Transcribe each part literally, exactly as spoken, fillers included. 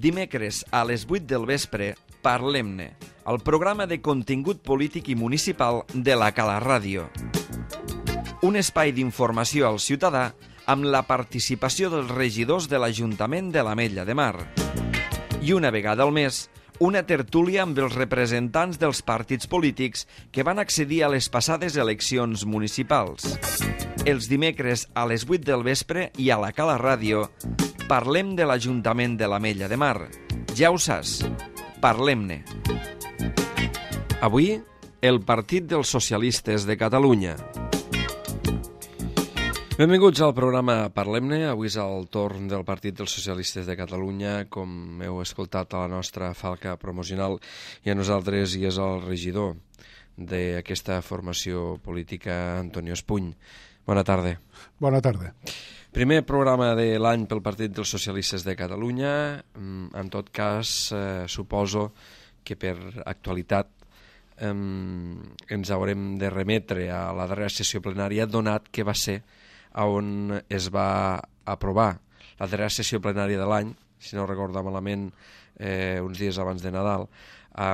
Dimecres a les vuit del vespre, Parlem-ne, el programa de contingut polític i municipal de la Cala Ràdio. Un espai d'informació al ciutadà amb la participació dels regidors de l'Ajuntament de l'Ametlla de Mar. I una vegada al mes, una tertúlia amb els representants dels partits polítics que van accedir a les passades eleccions municipals. Els dimecres a les vuit del vespre i a la Cala Ràdio parlem de l'Ajuntament de l'Ametlla de Mar. Ja ho saps, parlem-ne. Avui, el Partit dels Socialistes de Catalunya. Benvinguts al programa Parlem-ne. Avui és el torn del Partit dels Socialistes de Catalunya, com heu escoltat a la nostra falca promocional, i a nosaltres hi és el regidor d'aquesta formació política, Antonio Espuny. Bona tarda. Bona tarda. Primer programa de l'any pel Partit dels Socialistes de Catalunya. En tot cas, eh, suposo que per actualitat eh, ens haurem de remetre a la darrera sessió plenària, donat que va ser on es va aprovar la darrera sessió plenària de l'any, si no recordo malament, eh, uns dies abans de Nadal,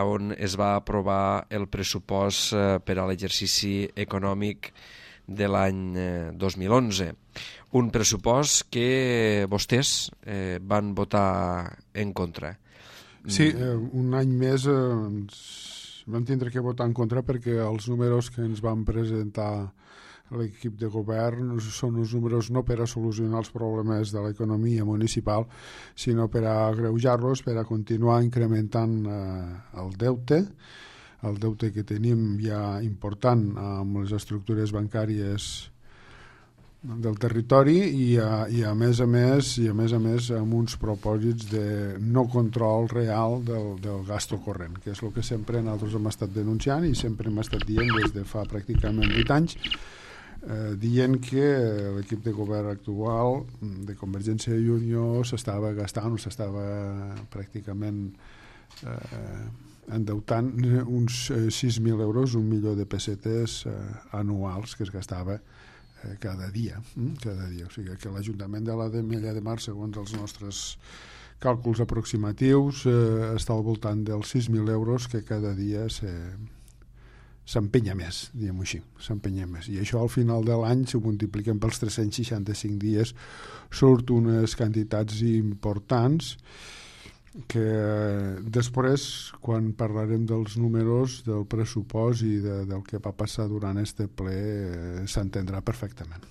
on es va aprovar el pressupost eh, per a l'exercici econòmic de l'any eh, dos mil onze. Un pressupost que vostès eh, van votar en contra. Sí, eh, un any més eh, ens vam tindre que votar en contra perquè els números que ens van presentar l'equip de govern són uns números no per a solucionar els problemes de l'economia municipal, sinó per a agreujar-los, per a continuar incrementant eh, el deute, el deute que tenim ja important amb les estructures bancàries del territori i a, i a més a més i a més a més amb uns propòsits de no control real del, del gasto corrent, que és el que sempre nosaltres hem estat denunciant i sempre hem estat dient des de fa pràcticament vuit anys, eh, dient que l'equip de govern actual de Convergència i Unió s'estava gastant o s'estava pràcticament eh, endeutant uns sis mil euros, un milió de pessetes eh, anuals que es gastava eh, cada dia, mm? cada dia. O sigui que l'Ajuntament de l'Ametlla de Mar, segons els nostres càlculs aproximatius, eh, està al voltant dels sis mil euros que cada dia se, s'empenya més, diguem-ho així, s'empenya més. I això al final de l'any, si ho multipliquem pels tres-cents seixanta-cinc dies, surt unes quantitats importants que després, quan parlarem dels números, del pressupost i de, del que va passar durant este ple, eh, s'entendrà perfectament.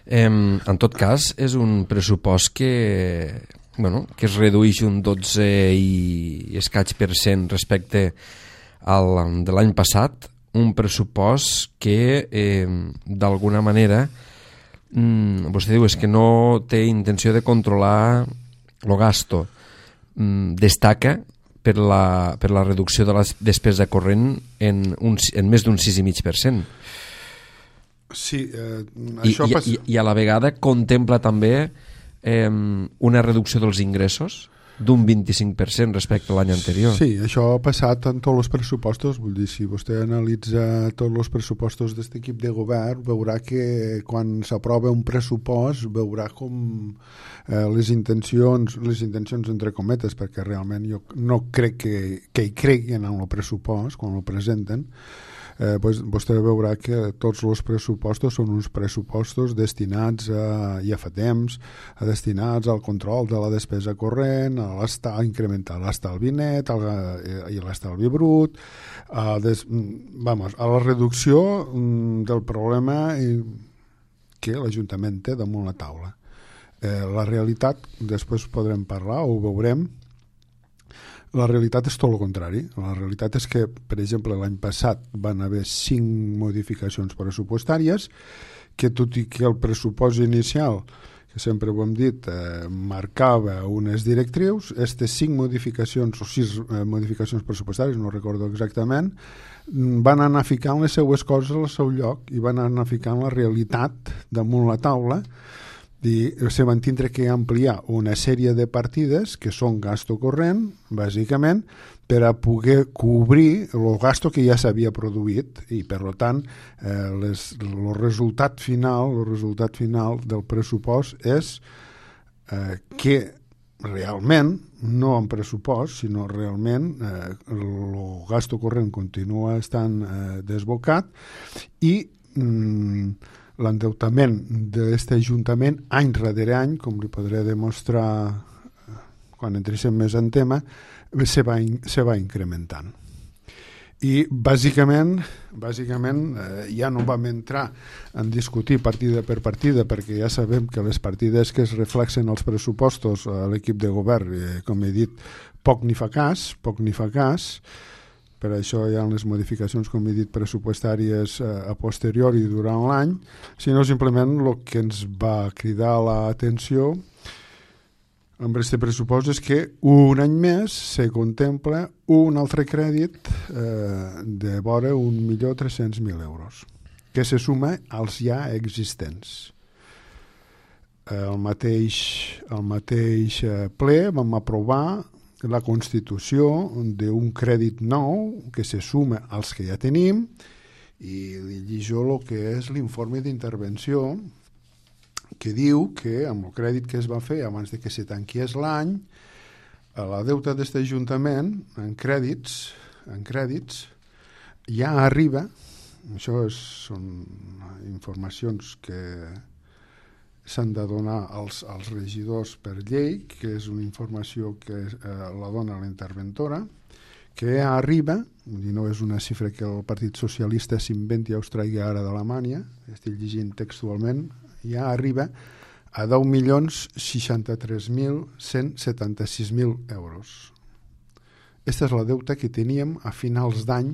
Eh, en tot cas, és un pressupost que, bueno, que es redueix un dotze i escaig per cent respecte al de l'any passat, un pressupost que, eh, d'alguna manera, mm, vostè diu és que no té intenció de controlar el gasto. Destaca per la, per la reducció de la despesa corrent en, un, en més d'un sis coma cinc per cent. Sí, eh, I, això i, passa... i, i a la vegada contempla també eh, una reducció dels ingressos d'un vint-i-cinc per cent respecte a l'any anterior. Sí, això ha passat en tots els pressupostos. Vull dir, si vostè analitza tots els pressupostos d'aquest equip de govern, veurà que quan s'aprova un pressupost, veurà com eh, les intencions, les intencions entre cometes, perquè realment jo no crec que, que hi creguin en el pressupost, quan el presenten, eh, pues, vostè veurà que tots els pressupostos són uns pressupostos destinats a, ja fa temps, a destinats al control de la despesa corrent, a, a incrementar l'estalvi net a, i l'estalvi brut, a, des, vamos, a la reducció del problema que l'Ajuntament té damunt la taula. Eh, la realitat, després podrem parlar o ho veurem, la realitat és tot el contrari. La realitat és que, per exemple, l'any passat van haver cinc modificacions pressupostàries que, tot i que el pressupost inicial, que sempre ho hem dit, eh, marcava unes directrius, aquestes cinc modificacions o sis eh, modificacions pressupostàries, no recordo exactament, van anar ficant les seues coses al seu lloc i van anar ficant la realitat damunt la taula. I se van tindre que ampliar una sèrie de partides que són gasto corrent, bàsicament, per a poder cobrir el gasto que ja s'havia produït i, per tant, eh, les, el resultat final el resultat final del pressupost és eh, que realment, no en pressupost, sinó realment eh, el gasto corrent continua estant eh, desbocat i mm, l'endeutament d'aquest Ajuntament any darrere any, com li podré demostrar quan entréssim més en tema, se va, se va incrementant. I bàsicament, bàsicament eh, ja no vam entrar en discutir partida per partida, perquè ja sabem que les partides que es reflexen als pressupostos a l'equip de govern, eh, com he dit, poc ni fa cas, poc ni fa cas. Per això hi ha les modificacions, com he dit, pressupostàries eh, a posteriori durant l'any, sinó simplement el que ens va cridar l'atenció amb aquest pressupost és que un any més se contempla un altre crèdit eh, de vora un milió tres-cents mil euros, que se suma als ja existents. El mateix, el mateix ple vam aprovar la constitució d'un crèdit nou que se suma als que ja tenim i li llijo el que és l'informe d'intervenció que diu que amb el crèdit que es va fer abans de que se tanquies l'any, la deuta d'aquest Ajuntament en crèdits, en crèdits ja arriba, això és, són informacions que s'han de donar als, als regidors per llei, que és una informació que eh, la dona la interventora, que ja arriba, i no és una xifra que el Partit Socialista s'inventi o es traigui ara d'Alemanya, estic llegint textualment, ja arriba a deu milions seixanta-tres mil cent setanta-sis mil euros. Aquesta és la deuta que teníem a finals d'any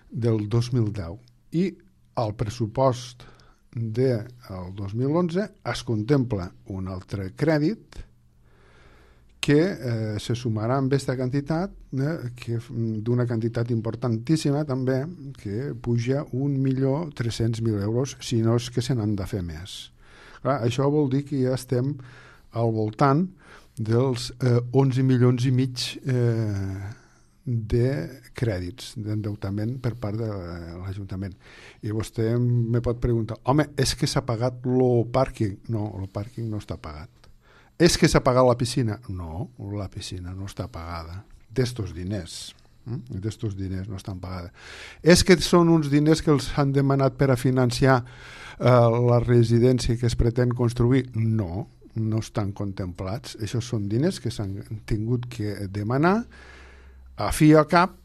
del dos mil deu. I al pressupost del dos mil onze es contempla un altre crèdit que eh, se sumarà amb aquesta quantitat, eh, que d'una quantitat importantíssima també, que puja un milió tres-cents mil euros, si no és que se n'han de fer més. Clar, això vol dir que ja estem al voltant dels eh, onze milions i mig eh, de crèdits, d'endeutament per part de l'Ajuntament. I vostè me pot preguntar, home, és que s'ha pagat el pàrquing? No, el pàrquing no està pagat. És que s'ha pagat la piscina? No, la piscina no està pagada. D'estos diners. Eh? D'estos diners no estan pagades. És que són uns diners que els han demanat per a financiar eh, la residència que es pretén construir? No, no estan contemplats. Això són diners que s'han tingut que demanar a fi a cap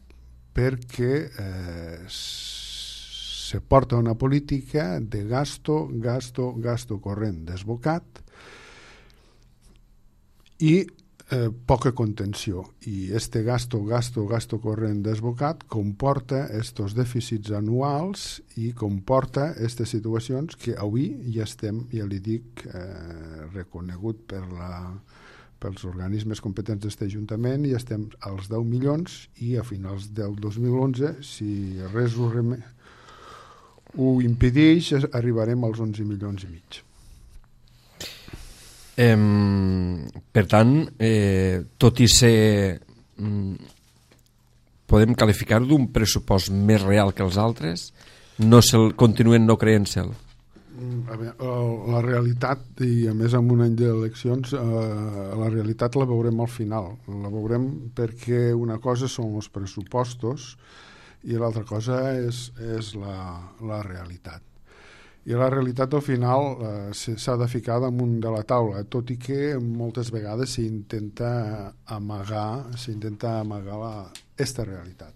perquè eh, se porta una política de gasto, gasto, gasto corrent desbocat i eh, poca contenció. I este gasto, gasto, gasto corrent desbocat comporta estos dèficits anuals i comporta aquestes situacions que avui ja estem, ja li dic, eh, reconegut per la, pels organismes competents d'aquest Ajuntament, i estem als deu milions i a finals del dos mil onze, si res ho, rem... ho impedeix, arribarem als onze milions i mig. Eh, per tant, eh, tot i ser mm, podem qualificar-ho d'un pressupost més real que els altres, no se'l, continuen no creient-se'l. A veure, la realitat, i a més en un any d'eleccions, eh, la realitat la veurem al final. La veurem perquè una cosa són els pressupostos i l'altra cosa és, és la, la realitat. I la realitat al final eh, s'ha de ficar damunt de la taula, tot i que moltes vegades s'intenta amagar, s'intenta amagar la, esta realitat.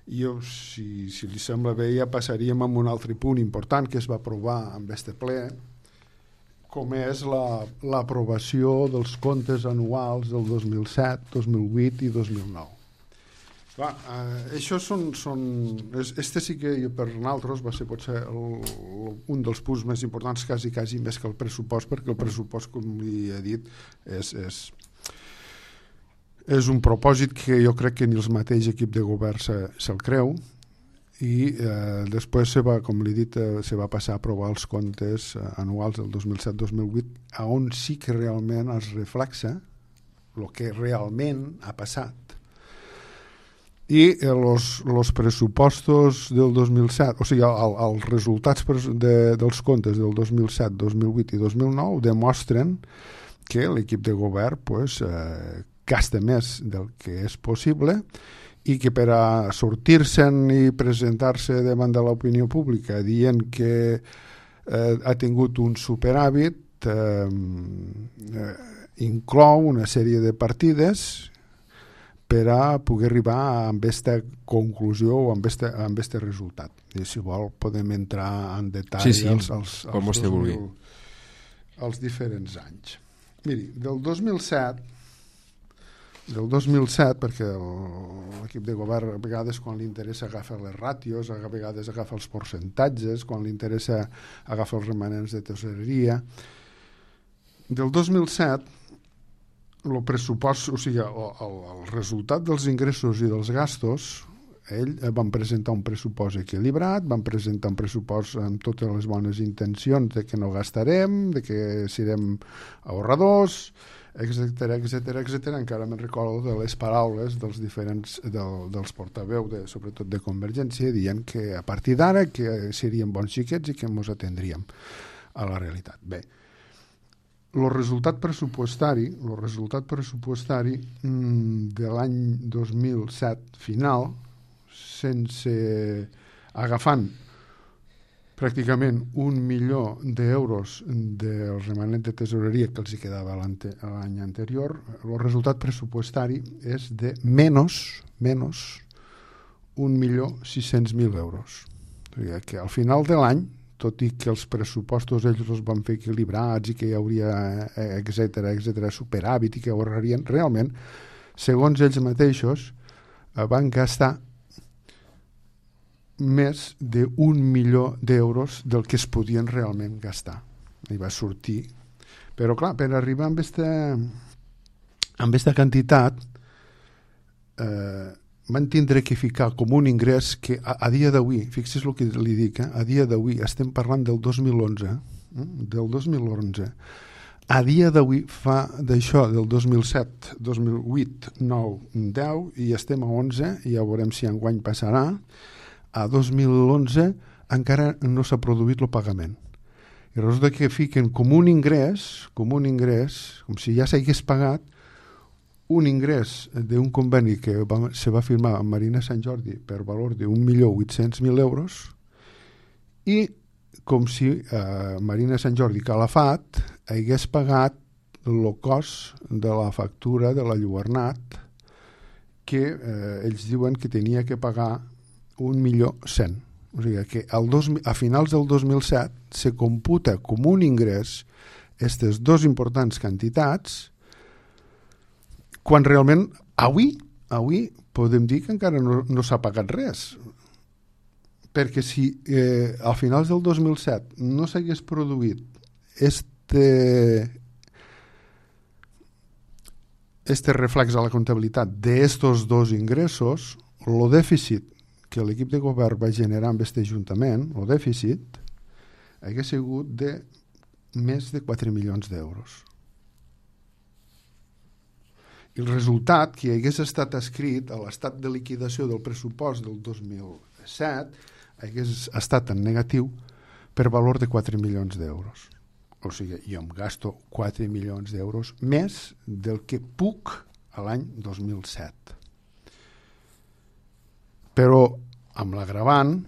Jo, si, si li sembla bé, ja passaríem a un altre punt important que es va aprovar amb este ple, com és la, l'aprovació dels comptes anuals del dos mil set, dos mil vuit i dos mil nou. Clar, eh, això són, són, este sí que per nosaltres va ser potser el, un dels punts més importants, quasi, quasi més que el pressupost, perquè el pressupost, com li he dit, és, és, és un propòsit que jo crec que ni el mateix equip de govern se, se'l creu, i eh, després se va, com li he dit, eh, se va passar a aprovar els comptes eh, anuals del dos mil set dos mil vuit, on sí que realment es reflexa el que realment ha passat. I els eh, pressupostos del dos mil set, o sigui, el, els resultats de, dels comptes del dos mil set, dos mil vuit i dos mil nou demostren que l'equip de govern pues, eh, gasta més del que és possible i que per a sortir-se'n i presentar-se davant de l'opinió pública dient que eh, ha tingut un superàvit eh, eh, inclou una sèrie de partides per a poder arribar a aquesta conclusió o amb este, amb este resultat. I si vol podem entrar en detall sí, sí, als, als, als, als, dos mil, als diferents anys. Miri, del dos mil set del dos mil set, perquè l'equip de govern a vegades quan li interessa agafa les ràtios, a vegades agafa els percentatges, quan li interessa agafa els remanents de tesoreria. Del dos mil set el pressupost, o sigui, el, el, el resultat dels ingressos i dels gastos, ell van presentar un pressupost equilibrat, van presentar un pressupost amb totes les bones intencions de que no gastarem, de que serem ahorradors, etcètera, etcètera, etcètera. Encara me'n recordo de les paraules dels diferents del, dels portaveu, de, sobretot de Convergència, dient que a partir d'ara que serien bons xiquets i que ens atendríem a la realitat. Bé, el resultat pressupostari, el resultat pressupostari mmm, de l'any dos mil set final, sense agafant pràcticament un milió d'euros del remanent de tesoreria que els hi quedava l'any anterior, el resultat pressupostari és de menys, menys un milió sis-cents mil euros. O sigui que al final de l'any, tot i que els pressupostos ells els van fer equilibrats i que hi hauria, etcètera, etcètera, superàvit i que ahorrarien, realment, segons ells mateixos, van gastar més d'un milió d'euros del que es podien realment gastar. I va sortir. Però, clar, per arribar amb aquesta, amb aquesta quantitat, eh, van tindre que ficar com un ingrés que a, a dia d'avui, fixi's el que li dic, eh? A dia d'avui estem parlant del dos mil onze, eh? del dos mil onze. A dia d'avui fa d'això del dos mil set, dos mil vuit, nou, deu i estem a onze i ja veurem si enguany passarà. A dos mil onze encara no s'ha produït el pagament. I resulta que fiquen com un ingrés, com un ingrés, com si ja s'hagués pagat, un ingrés d'un conveni que va, se va firmar amb Marina Sant Jordi per valor d'un milió vuit-cents mil euros i com si eh, Marina Sant Jordi Calafat hagués pagat el cost de la factura de la Lluernat que eh, ells diuen que tenia que pagar un milió cent. O sigui que el dos, a finals del dos mil set se computa com un ingrés aquestes dues importants quantitats quan realment avui, avui podem dir que encara no, no s'ha pagat res. Perquè si eh, a finals del dos mil set no s'hagués produït este, este reflex a la comptabilitat d'estos dos ingressos, el dèficit que l'equip de govern va generar amb aquest ajuntament, el dèficit, hagués sigut de més de quatre milions d'euros. I el resultat que hagués estat escrit a l'estat de liquidació del pressupost del dos mil set hagués estat en negatiu per valor de quatre milions d'euros. O sigui, jo em gasto quatre milions d'euros més del que puc a l'any dos mil set. Però amb l'agravant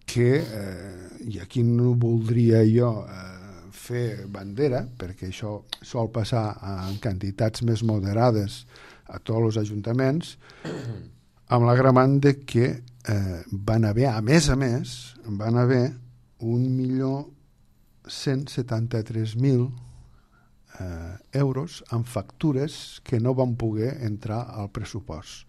que, eh, i aquí no voldria jo eh, fer bandera, perquè això sol passar en quantitats més moderades a tots els ajuntaments, amb l'agravant de que eh, van haver, a més a més, van haver un milió cent setanta-tres mil eh, euros en factures que no van poder entrar al pressupost.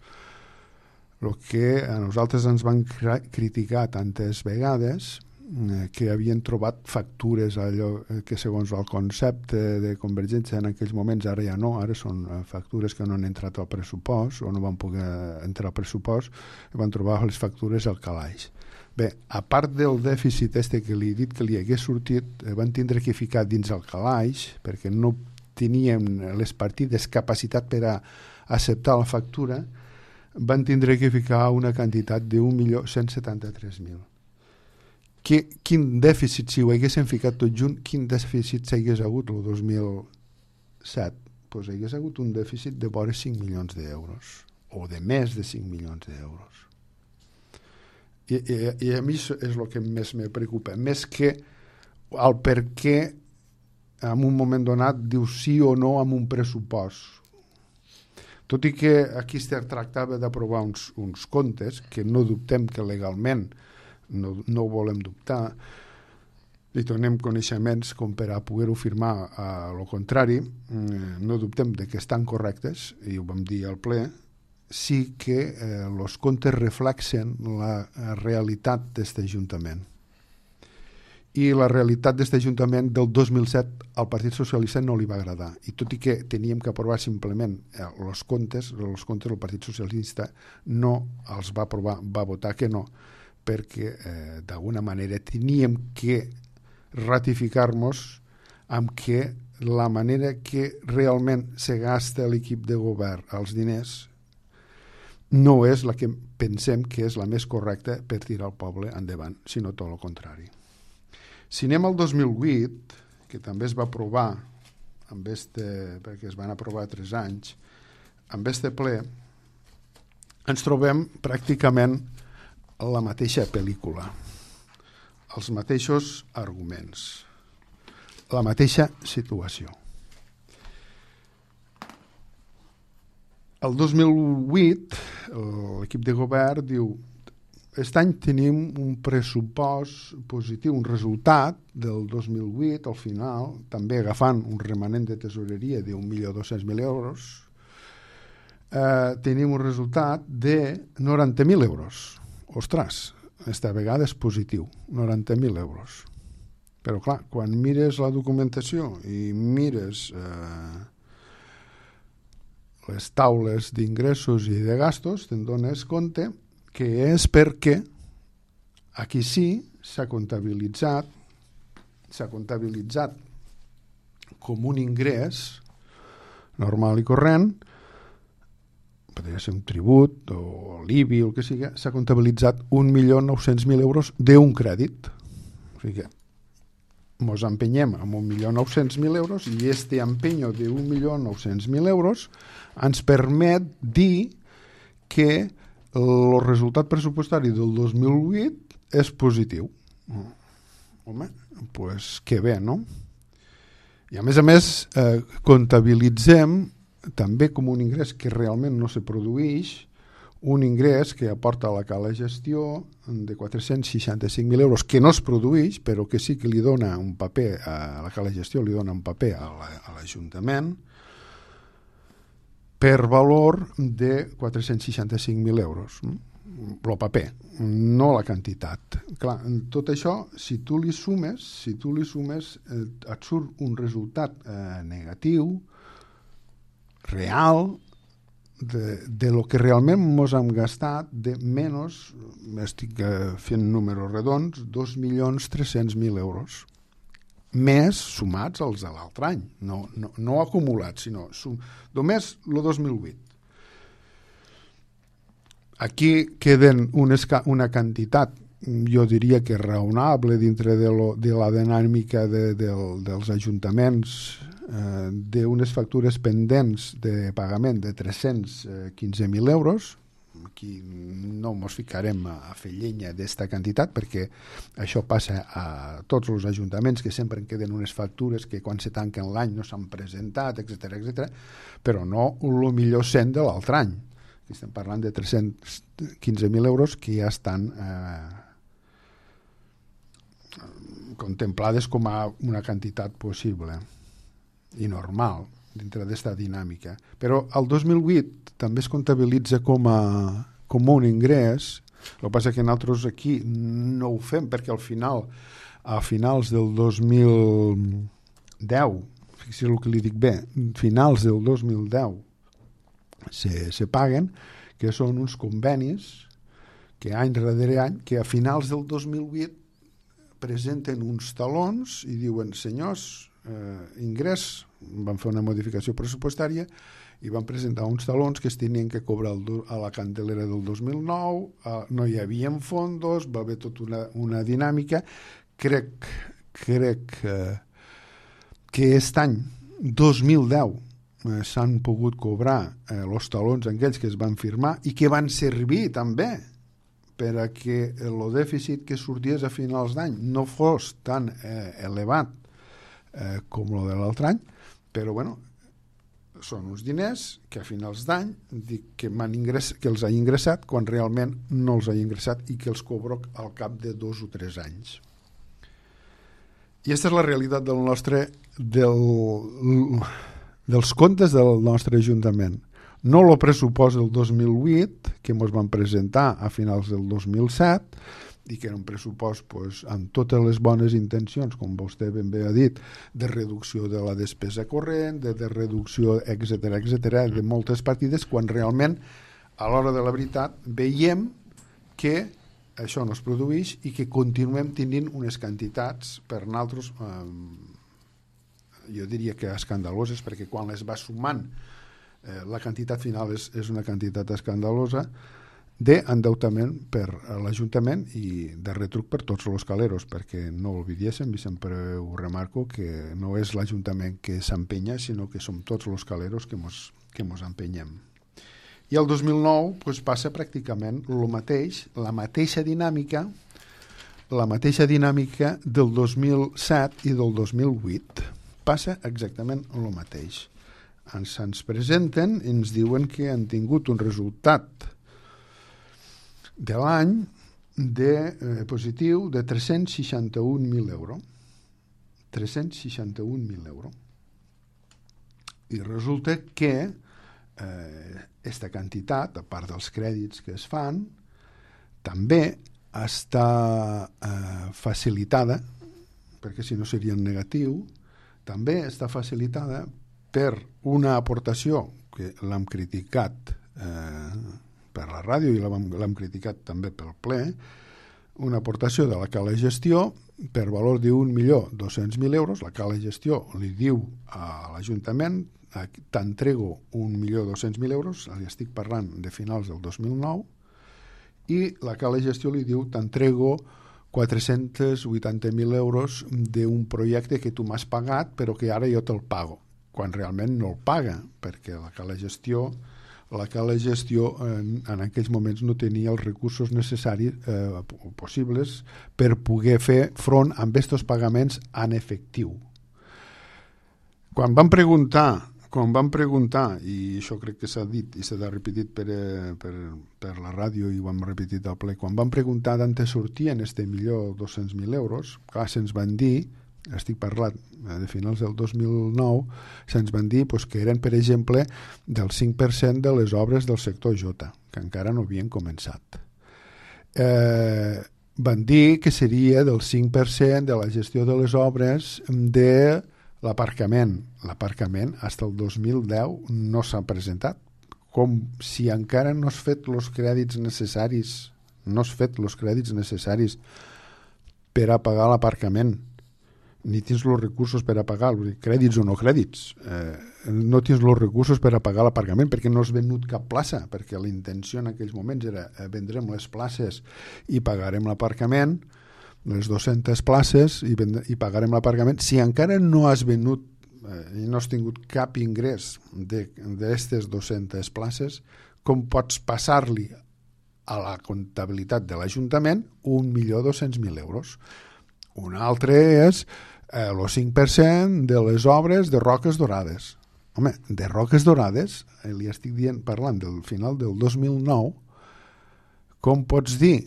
El que a nosaltres ens van criticar tantes vegades eh, que havien trobat factures allò que segons el concepte de Convergència en aquells moments, ara ja no, ara són factures que no han entrat al pressupost o no van poder entrar al pressupost, i van trobar les factures al calaix. Bé, a part del dèficit este que li he dit que li hagués sortit, eh, van tindre que ficar dins el calaix perquè no teníem les partides capacitat per a acceptar la factura, van tindre que ficar una quantitat d'un milió cent setanta-tres mil. que, quin dèficit, si ho haguéssim ficat tot junt, quin dèficit s'hagués hagut el dos mil set? Doncs hagués hagut un dèficit de vora cinc milions d'euros, o de més de cinc milions d'euros. I, i, I a mi és el que més me preocupa, més que el per què en un moment donat diu sí o no amb un pressupost. Tot i que aquí es tractava d'aprovar uns, uns comptes que no dubtem que legalment no, no ho volem dubtar, i donem coneixements com per a poder-ho firmar a lo contrari, no dubtem de que estan correctes, i ho vam dir al ple, sí que els eh, comptes reflexen la realitat d'aquest Ajuntament. I la realitat d'aquest Ajuntament del dos mil set al Partit Socialista no li va agradar. I tot i que teníem que aprovar simplement els comptes, els comptes del Partit Socialista no els va aprovar, va votar que no, perquè eh, d'alguna manera teníem que ratificar-nos amb que la manera que realment se gasta l'equip de govern els diners no és la que pensem que és la més correcta per tirar el poble endavant, sinó tot el contrari. Si anem al dos mil vuit, que també es va aprovar, amb este, perquè es van aprovar tres anys, amb este ple, ens trobem pràcticament la mateixa pel·lícula, els mateixos arguments, la mateixa situació. El dos mil vuit, l'equip de govern diu aquest any tenim un pressupost positiu, un resultat del dos mil vuit, al final, també agafant un remanent de tesoreria d'un milió dos-cents mil euros, eh, tenim un resultat de noranta mil euros. Ostres, aquesta vegada és positiu, noranta mil euros. Però clar, quan mires la documentació i mires eh, les taules d'ingressos i de gastos, te'n dones compte que és perquè aquí sí s'ha comptabilitzat s'ha comptabilitzat com un ingrés normal i corrent, podria ser un tribut o l'I B I o el que sigui, s'ha comptabilitzat un milió nou-cents mil euros d'un crèdit. O sigui que ens empenyem amb un milió nou-cents mil euros i este empenyo d'un milió nou-cents mil euros ens permet dir que el resultat pressupostari del dos mil vuit és positiu. Home, doncs pues que bé, no? I a més a més eh, comptabilitzem també com un ingrés que realment no se produeix, un ingrés que aporta a la cala gestió de quatre-cents seixanta-cinc mil euros, que no es produeix, però que sí que li dona un paper a la cala gestió, li dona un paper a l'Ajuntament, per valor de quatre-cents seixanta-cinc mil euros. El paper, no la quantitat. Clar, tot això, si tu li sumes, si tu li sumes, eh, et surt un resultat eh, negatiu, real, de, de lo que realment ens hem gastat, de menys, estic eh, fent números redons, dos milions tres-cents mil euros. Més sumats als de l'altre any, no, no, no acumulats, sinó sum, només el dos mil vuit. Aquí queden unes, una quantitat, jo diria que raonable dintre de, lo, de la dinàmica de, de, dels ajuntaments, eh, d'unes factures pendents de pagament de tres-cents quinze mil euros. Aquí no ens ficarem a fer llenya d'esta quantitat perquè això passa a tots els ajuntaments, que sempre en queden unes factures que quan se tanquen l'any no s'han presentat, etcètera, etcètera, però no el millor cent de l'altre any. Aquí estem parlant de tres-cents quinze mil euros que ja estan eh, contemplades com a una quantitat possible i normal dintre d'esta dinàmica. Però el dos mil vuit també es comptabilitza com a, com un ingrés. El que passa que nosaltres aquí no ho fem perquè al final, a finals del dos mil deu, fixi el que li dic bé, finals del dos mil deu se, se paguen, que són uns convenis que any darrere any, que a finals del dos mil vuit presenten uns talons i diuen, senyors, eh, ingrés, van fer una modificació pressupostària i van presentar uns talons que es tenien que cobrar el, a la candelera del dos mil nou, eh, no hi havia fondos, va haver tota una, una dinàmica. Crec, crec eh, que aquest any, dos mil deu, eh, s'han pogut cobrar eh, els talons aquells que es van firmar i que van servir també per a que el dèficit que sorties a finals d'any no fos tan eh, elevat eh, com el de l'altre any, però bueno, són uns diners que a finals d'any dic que, ingress, que els ha ingressat quan realment no els ha ingressat i que els cobro al cap de dos o tres anys. I aquesta és la realitat del nostre, del, dels comptes del nostre Ajuntament. No el pressupost del dos mil vuit, que ens van presentar a finals del dos mil set, i que era un pressupost pues, amb totes les bones intencions, com vostè ben bé ha dit, de reducció de la despesa corrent, de, de reducció, etcètera, etcètera, de moltes partides, quan realment, a l'hora de la veritat, veiem que això no es produeix i que continuem tenint unes quantitats per nosaltres, eh, jo diria que escandaloses, perquè quan les va sumant eh, la quantitat final és, és una quantitat escandalosa d'endeutament per a l'Ajuntament i de retruc per tots els caleros, perquè no oblidiéssim, i sempre ho remarco, que no és l'Ajuntament que s'empenya, sinó que som tots els caleros que mos, que mos empenyem. I el dos mil nou pues, passa pràcticament el mateix, la mateixa dinàmica, la mateixa dinàmica del dos mil set i del dos mil vuit. Passa exactament el mateix. Ens, ens presenten i ens diuen que han tingut un resultat de l'any de eh, positiu de tres-cents seixanta-un mil euros. tres-cents seixanta-un mil euros. I resulta que aquesta eh, quantitat, a part dels crèdits que es fan, també està eh, facilitada, perquè si no seria en negatiu, també està facilitada per una aportació que l'hem criticat eh, per la ràdio i l'hem criticat també pel ple, una aportació de la Cala Gestió per valor d'un milió dos-cents mil euros. La Cala Gestió li diu a l'Ajuntament t'entrego un milió dos-cents mil euros, li estic parlant de finals del dos mil nou, i la Cala Gestió li diu t'entrego quatre-cents vuitanta mil euros d'un projecte que tu m'has pagat però que ara jo te'l pago, quan realment no el paga, perquè la Cala Gestió la Cala Gestió en, en aquells moments no tenia els recursos necessaris eh, possibles per poder fer front amb aquests pagaments en efectiu. Quan van preguntar, quan van preguntar, i això crec que s'ha dit i s'ha repetit per, per, per la ràdio i ho hem repetit al ple, quan van preguntar d'on sortien este milió dos-cents mil euros, clar, se'ns van dir, estic parlant de finals del dos mil nou, se'ns van dir pues, que eren, per exemple, del cinc per cent de les obres del sector J, que encara no havien començat. Eh, van dir que seria del cinc per cent de la gestió de les obres de l'aparcament. L'aparcament, fins al dos mil deu, no s'ha presentat. Com si encara no has fet els crèdits necessaris, no has fet els crèdits necessaris per a pagar l'aparcament, ni tens els recursos per a pagar, crèdits o no crèdits, eh, no tens els recursos per a pagar l'aparcament perquè no has venut cap plaça, perquè la intenció en aquells moments era eh, vendrem les places i pagarem l'aparcament, les dues-centes places i, vend- i pagarem l'aparcament. Si encara no has venut eh, i no has tingut cap ingrés d'aquestes dues-centes places, com pots passar-li a la comptabilitat de l'Ajuntament un milió dos-cents mil euros? Un altre és eh, el cinc per cent de les obres de Roques Dorades. Home, de Roques Dorades, eh, li estic dient, parlant del final del dos mil nou, com pots dir,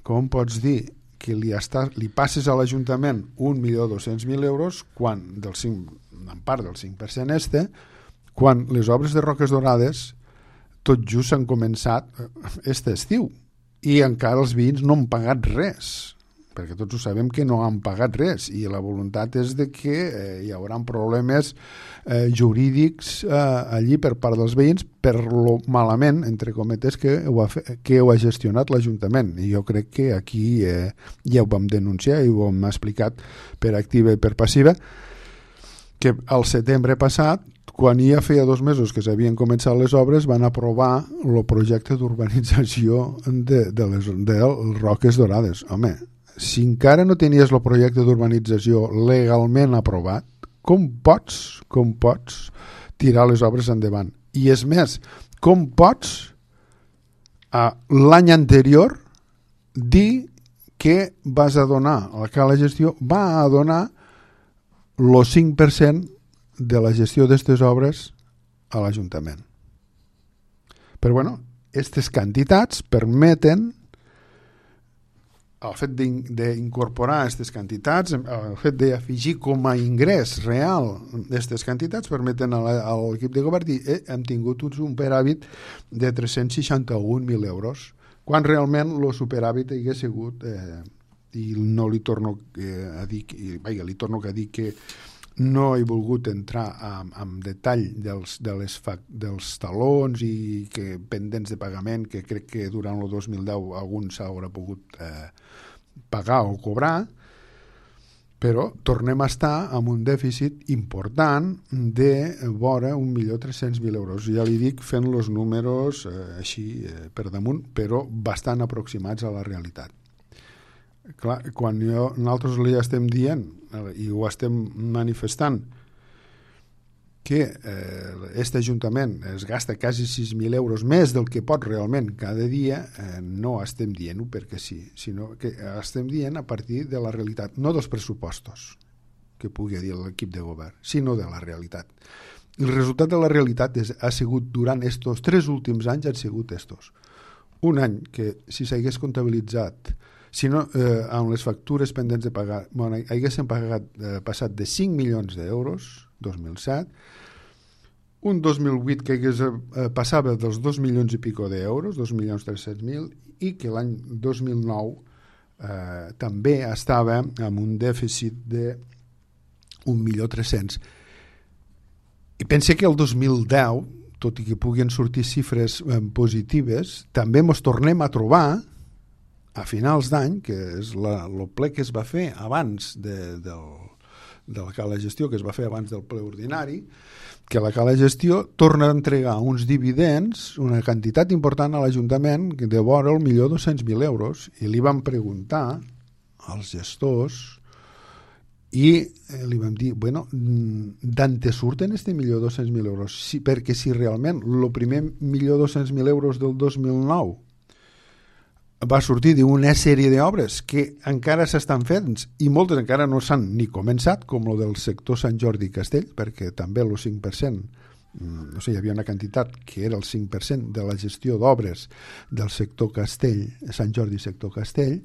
com pots dir que li, està, li passes a l'Ajuntament un milió dos-cents mil euros quan del cinc, en part del cinc per cent este, quan les obres de Roques Dorades tot just s'han començat este estiu i encara els veïns no han pagat res, perquè tots ho sabem que no han pagat res i la voluntat és de que eh, hi haurà problemes eh, jurídics eh, allí per part dels veïns per lo malament, entre cometes, que ho ha, fe, que ho ha gestionat l'Ajuntament. I jo crec que aquí eh, ja ho vam denunciar i ho hem explicat per activa i per passiva, que al setembre passat, quan ja feia dos mesos que s'havien començat les obres, van aprovar el projecte d'urbanització de, de les de Roques Dorades. Home, si encara no tenies el projecte d'urbanització legalment aprovat, com pots, com pots tirar les obres endavant? I és més, com pots a l'any anterior dir que vas a donar, la que la gestió va a donar el cinc per cent de la gestió d'aquestes obres a l'Ajuntament. Però bueno, aquestes quantitats permeten, el fet d'incorporar aquestes quantitats, el fet d'afegir com a ingrés real aquestes quantitats, permeten a l'equip de govern dir eh, hem tingut un superàvit de tres-cents seixanta-un mil euros, quan realment el superàvit hagués sigut, eh, i no li torno eh, a dir, i, vaja, li torno a dir que no he volgut entrar en, en detall dels, de les fac, dels talons i que pendents de pagament, que crec que durant el dos mil deu algun s'haurà pogut eh, pagar o cobrar, però tornem a estar amb un dèficit important de vora un milió tres-cents mil euros. Ja li dic fent els números eh, així eh, per damunt, però bastant aproximats a la realitat. Clar, quan jo, nosaltres li estem dient i ho estem manifestant que aquest eh, Ajuntament es gasta quasi sis mil euros més del que pot realment cada dia, eh, no estem dient-ho perquè sí, sinó que estem dient a partir de la realitat, no dels pressupostos que pugui dir l'equip de govern, sinó de la realitat. El resultat de la realitat és, ha sigut durant estos tres últims anys han sigut estos. Un any que si s'hagués comptabilitzat si no, eh, amb les factures pendents de pagar, bueno, haguéssim pagat, eh, passat de cinc milions d'euros, dos mil set, un dos mil vuit que hagués, eh, passava dels dos milions i pico d'euros, dos milions tres-cents mil, i que l'any dos mil nou eh, també estava amb un dèficit de un milió tres-cents. I pense que el dos mil deu, tot i que puguin sortir xifres eh, positives, també ens tornem a trobar a finals d'any, que és la, el ple que es va fer abans de, del, de la cala gestió, que es va fer abans del ple ordinari, que la cala gestió torna a entregar uns dividends, una quantitat important a l'Ajuntament de vora el milió dos-cents mil euros, i li vam preguntar als gestors i li vam dir, bueno, d'on te surten este milió dos-cents mil euros? Sí, perquè si realment el primer milió dos-cents mil euros del dos mil nou va sortir d'una sèrie d'obres que encara s'estan fent i moltes encara no s'han ni començat, com el del sector Sant Jordi i Castell, perquè també el cinc per cent, no sé, hi havia una quantitat que era el cinc per cent de la gestió d'obres del sector Castell, Sant Jordi i sector Castell,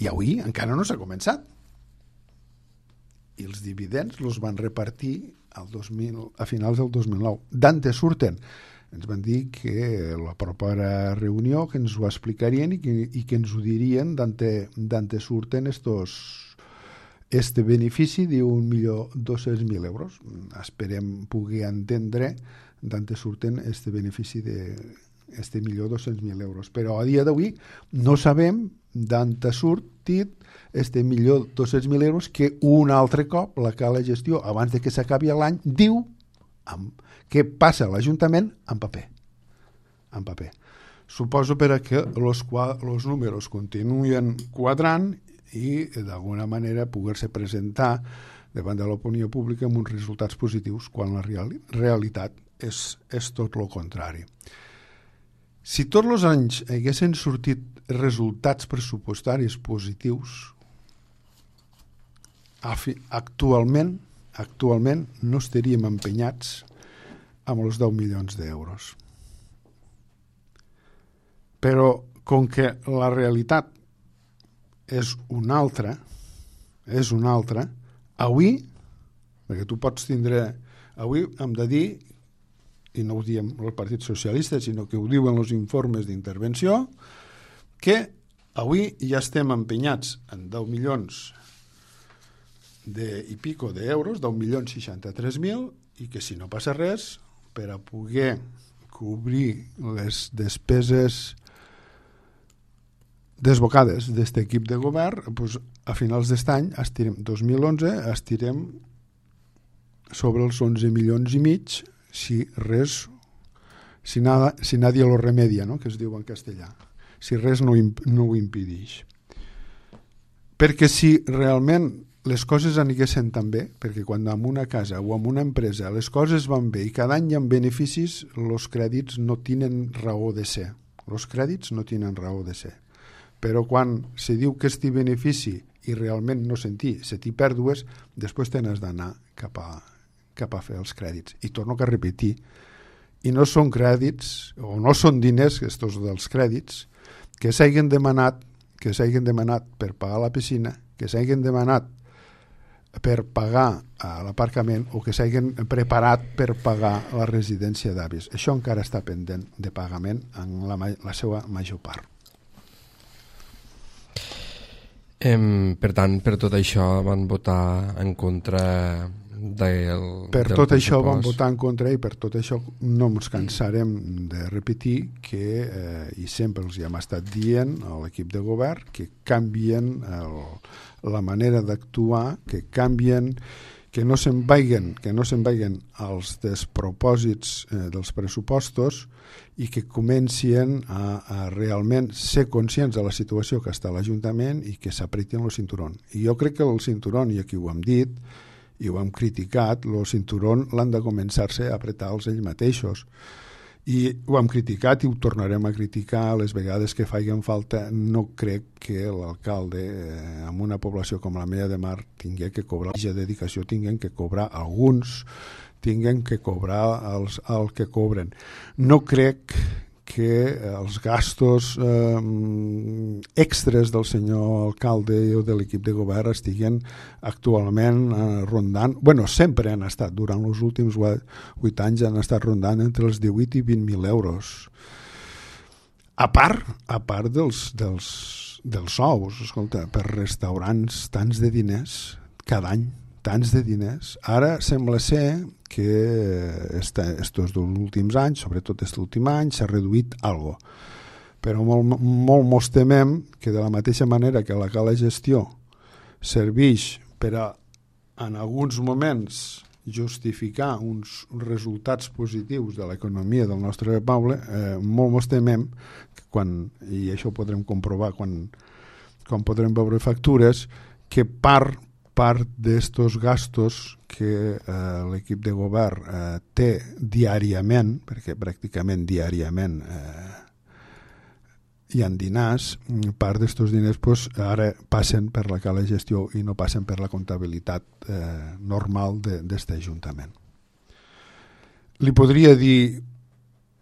i avui encara no s'ha començat. I els dividends els van repartir al dos mil, a finals del dos mil nou. D'on te surten? Ens van dir que la propera reunió que ens ho explicarien i que, i que ens ho dirien d'on te surten estos, este benefici d'un milió dos-cents mil euros. Esperem poder entendre d'on te surten este benefici de este milió dos-cents mil euros. Però a dia d'avui no sabem d'on te sortit este milió dos-cents mil euros que un altre cop la cala gestió, abans de que s'acabi l'any, diu amb què passa a l'Ajuntament en paper. En paper. Suposo per a que els números continuen quadrant i d'alguna manera poder-se presentar davant de l'opinió pública amb uns resultats positius quan la real, realitat és, és tot el contrari. Si tots els anys haguessin sortit resultats pressupostaris positius, actualment, actualment no estaríem empenyats amb els deu milions d'euros. Però com que la realitat és una altra, és una altra, avui, perquè tu pots tindre, avui hem de dir, i no ho diem el Partit Socialista, sinó que ho diuen els informes d'intervenció, que avui ja estem empenyats en deu milions de, i pico d'euros, deu milions seixanta-tres mil, i que si no passa res, per a poder cobrir les despeses desbocades d'aquest equip de govern, doncs, a finals d'aquest any, estirem, dos mil onze, estirem sobre els onze milions i mig si res, si, nada, si nadie lo remedia, no? Que es diu en castellà, si res no, no ho impedeix. Perquè si realment les coses aniguessin tan bé, perquè quan en una casa o en una empresa les coses van bé i cada any hi ha beneficis, els crèdits no tenen raó de ser. Els crèdits no tenen raó de ser. Però quan se diu que este benefici i realment no sentir, se t'hi pèrdues, després t'has d'anar cap a, cap a fer els crèdits. I torno a repetir, i no són crèdits, o no són diners, estos dels crèdits, que s'hagin demanat, que s'hagin demanat per pagar la piscina, que s'hagin demanat per pagar l'aparcament o que s'hagin preparat per pagar la residència d'avis. Això encara està pendent de pagament en la, la seva major part. Em, per tant, per tot això van votar en contra del Per del tot això van pressupost. votar en contra i per tot això no ens cansarem de repetir que, eh, i sempre els hi hem estat dient a l'equip de govern, que canvien el, la manera d'actuar, que canvien, que no se'n vagin, que no se'n vagin els despropòsits eh, dels pressupostos i que comencien a, a realment ser conscients de la situació que està a l'Ajuntament i que s'apretin el cinturón. I jo crec que el cinturón, i aquí ho hem dit, i ho hem criticat, el cinturón l'han de començar-se a apretar els ells mateixos. I ho hem criticat i ho tornarem a criticar les vegades que facin falta. No crec que l'alcalde, eh, en una població com la Mella de Mar, tingui que cobrar la dedicació, tinguin que cobrar alguns, tinguin que cobrar els, el que cobren. No crec que els gastos eh, extres del senyor alcalde o de l'equip de govern estiguen actualment eh, rondant, bueno, sempre han estat, durant els últims vuit anys han estat rondant entre els divuit i vint mil euros. A part, a part dels, dels, dels sous, escolta, per restaurants tants de diners cada any, tants de diners. Ara sembla ser que estos últims anys, sobretot aquest últim any, s'ha reduït algo. Però molt, molt mos temem que de la mateixa manera que la cala gestió serveix per a, en alguns moments, justificar uns resultats positius de l'economia del nostre poble, eh, molt mos temem que quan, i això ho podrem comprovar quan, quan podrem veure factures, que part part d'estos gastos que eh, l'equip de govern eh, té diàriament, perquè pràcticament diàriament eh, hi ha diners, part d'estos diners pues, ara passen per la cala gestió i no passen per la comptabilitat eh, normal d'aquest ajuntament. Li podria dir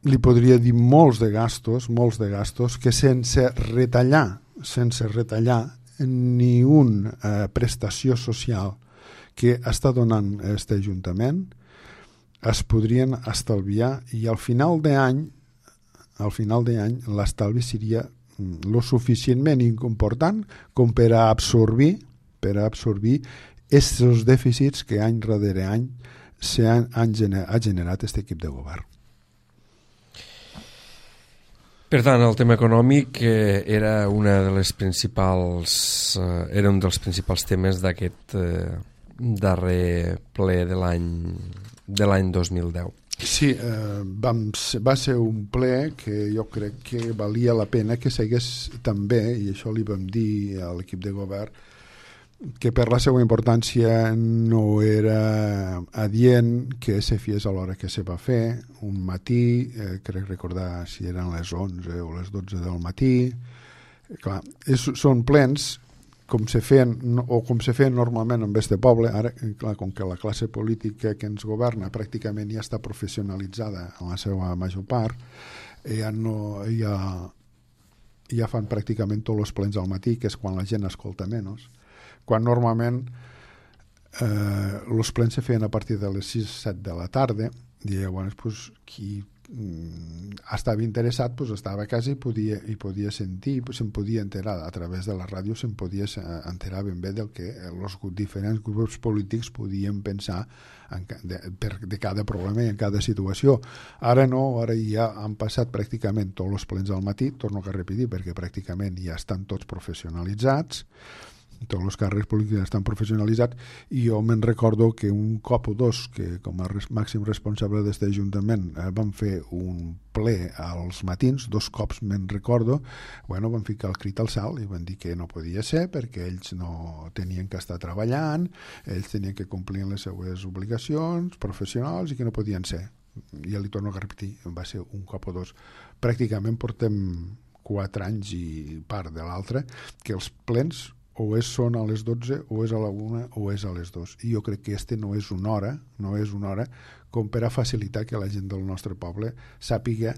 li podria dir molts de gastos, molts de gastos que sense retallar, sense retallar ni una eh, prestació social que està donant aquest Ajuntament es podrien estalviar i al final d'any al final d'any l'estalvi seria lo suficientment important com per a absorbir per a absorbir aquests dèficits que any darrere any han, han gener, ha generat aquest equip de govern. Per tant, el tema econòmic eh, era una de les principals eh, era un dels principals temes d'aquest eh, darrer ple de l'any de l'any dos mil deu. Sí, eh, vam, va ser un ple que jo crec que valia la pena que segués també, i això li vam dir a l'equip de govern, que per la seva importància no era adient que se fes a l'hora que se va fer, un matí, eh, crec recordar si eren les onze o les dotze del matí. Clar, és, són plens com se feien, o com se feien normalment en este poble. Ara, clar, com que la classe política que ens governa pràcticament ja està professionalitzada en la seva major part, ja no ja, ja fan pràcticament tots els plens al matí, que és quan la gent escolta menys, quan normalment eh, els plens se feien a partir de les sis o set de la tarda, i llavors pues, qui mm, estava interessat pues, estava a casa i podia, i podia sentir, pues, se'n podia enterar a través de la ràdio, se'n podia enterar ben bé del que els diferents grups polítics podien pensar en, de, per, de cada problema i en cada situació. Ara no, ara ja han passat pràcticament tots els plens al matí, torno a repetir perquè pràcticament ja estan tots professionalitzats, tots els càrrecs polítics estan professionalitzats, i jo me'n recordo que un cop o dos, que com a res, màxim responsable d'aquest ajuntament eh, van fer un ple als matins, dos cops me'n recordo, bueno, van ficar el crit al salt i van dir que no podia ser perquè ells no tenien que estar treballant, ells tenien que complir les seues obligacions professionals i que no podien ser. Ja li torno a repetir, va ser un cop o dos. Pràcticament portem quatre anys i part de l'altre que els plens o és són a les dotze o és a la una o és a les dos, i jo crec que este no és una hora no és una hora com per a facilitar que la gent del nostre poble sàpiga,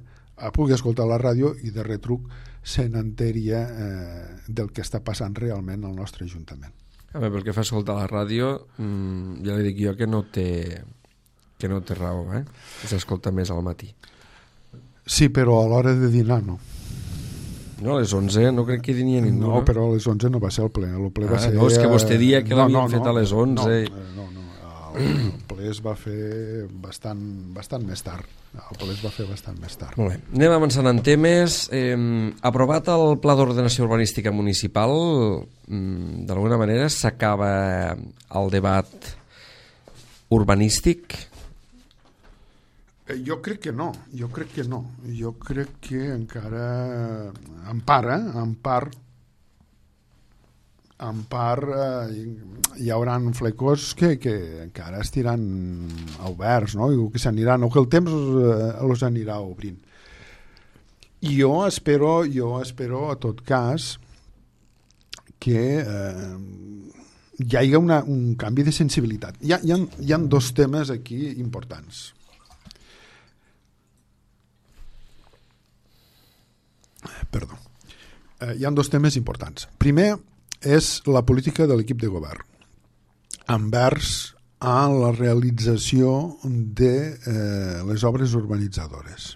pugui escoltar la ràdio i de retruc se n'enteria eh, del que està passant realment al nostre Ajuntament. A veure, pel que fa a escoltar la ràdio, mmm, ja li dic jo que no té que no té raó, eh? S'escolta més al matí. Sí, però a l'hora de dinar no. No, a les onze no crec que dinia ningú. No, però a les onze no va ser el ple. El ple ah, va ser, no, és que vostè dia que no, l'havien no, fet no, a les onze. No, no, no. El ple es va fer bastant, bastant més tard. El ple es va fer bastant més tard. Molt bé. Anem avançant en temes. Eh, aprovat el Pla d'Ordenació Urbanística Municipal, mm, d'alguna manera s'acaba el debat urbanístic? Jo crec que no, jo crec que no. Jo crec que encara, en part, eh, en part, en part eh, hi haurà flecors que, que encara estiran oberts, no? I que s'aniran, o que el temps eh, els anirà obrint. I jo espero, jo espero a tot cas que eh, hi hagi una, un canvi de sensibilitat. Hi ha, hi ha, hi ha dos temes aquí importants. Perdó. Eh, hi ha dos temes importants. Primer és la política de l'equip de govern envers a la realització de eh, les obres urbanitzadores.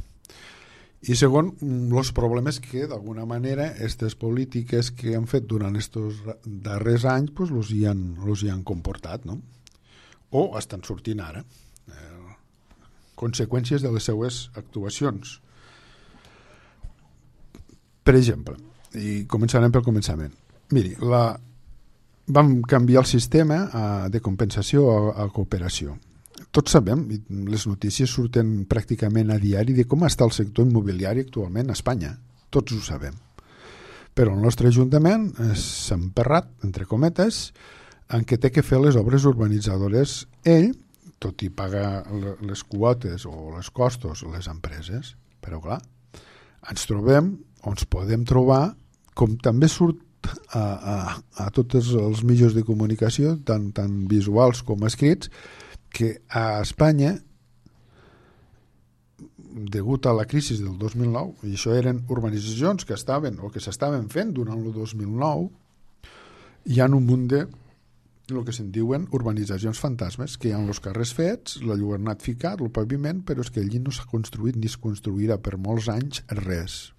I segon, els problemes que d'alguna manera aquestes polítiques que han fet durant aquests darrers anys pues, los hi han, los hi han comportat, no? O estan sortint ara. Eh, conseqüències de les seues actuacions. Per exemple, i començarem pel començament. Miri, la, vam canviar el sistema a, de compensació a, a cooperació. Tots sabem, i les notícies surten pràcticament a diari, de com està el sector immobiliari actualment a Espanya. Tots ho sabem. Però el nostre Ajuntament s'ha emperrat, entre cometes, en què té que fer les obres urbanitzadores ell, tot i pagar les quotes o les costos a les empreses. Però clar, ens trobem o ens podem trobar, com també surt a, a, a tots els mitjans de comunicació, tant, tant visuals com escrits, que a Espanya, degut a la crisi del dos mil nou, i això eren urbanitzacions que estaven o que s'estaven fent durant el dos mil nou, hi ha un munt de el que se'n diuen urbanitzacions fantasmes, que hi ha els carrers fets, la lluernat ficat, el paviment, però és que allí no s'ha construït ni es construirà per molts anys res.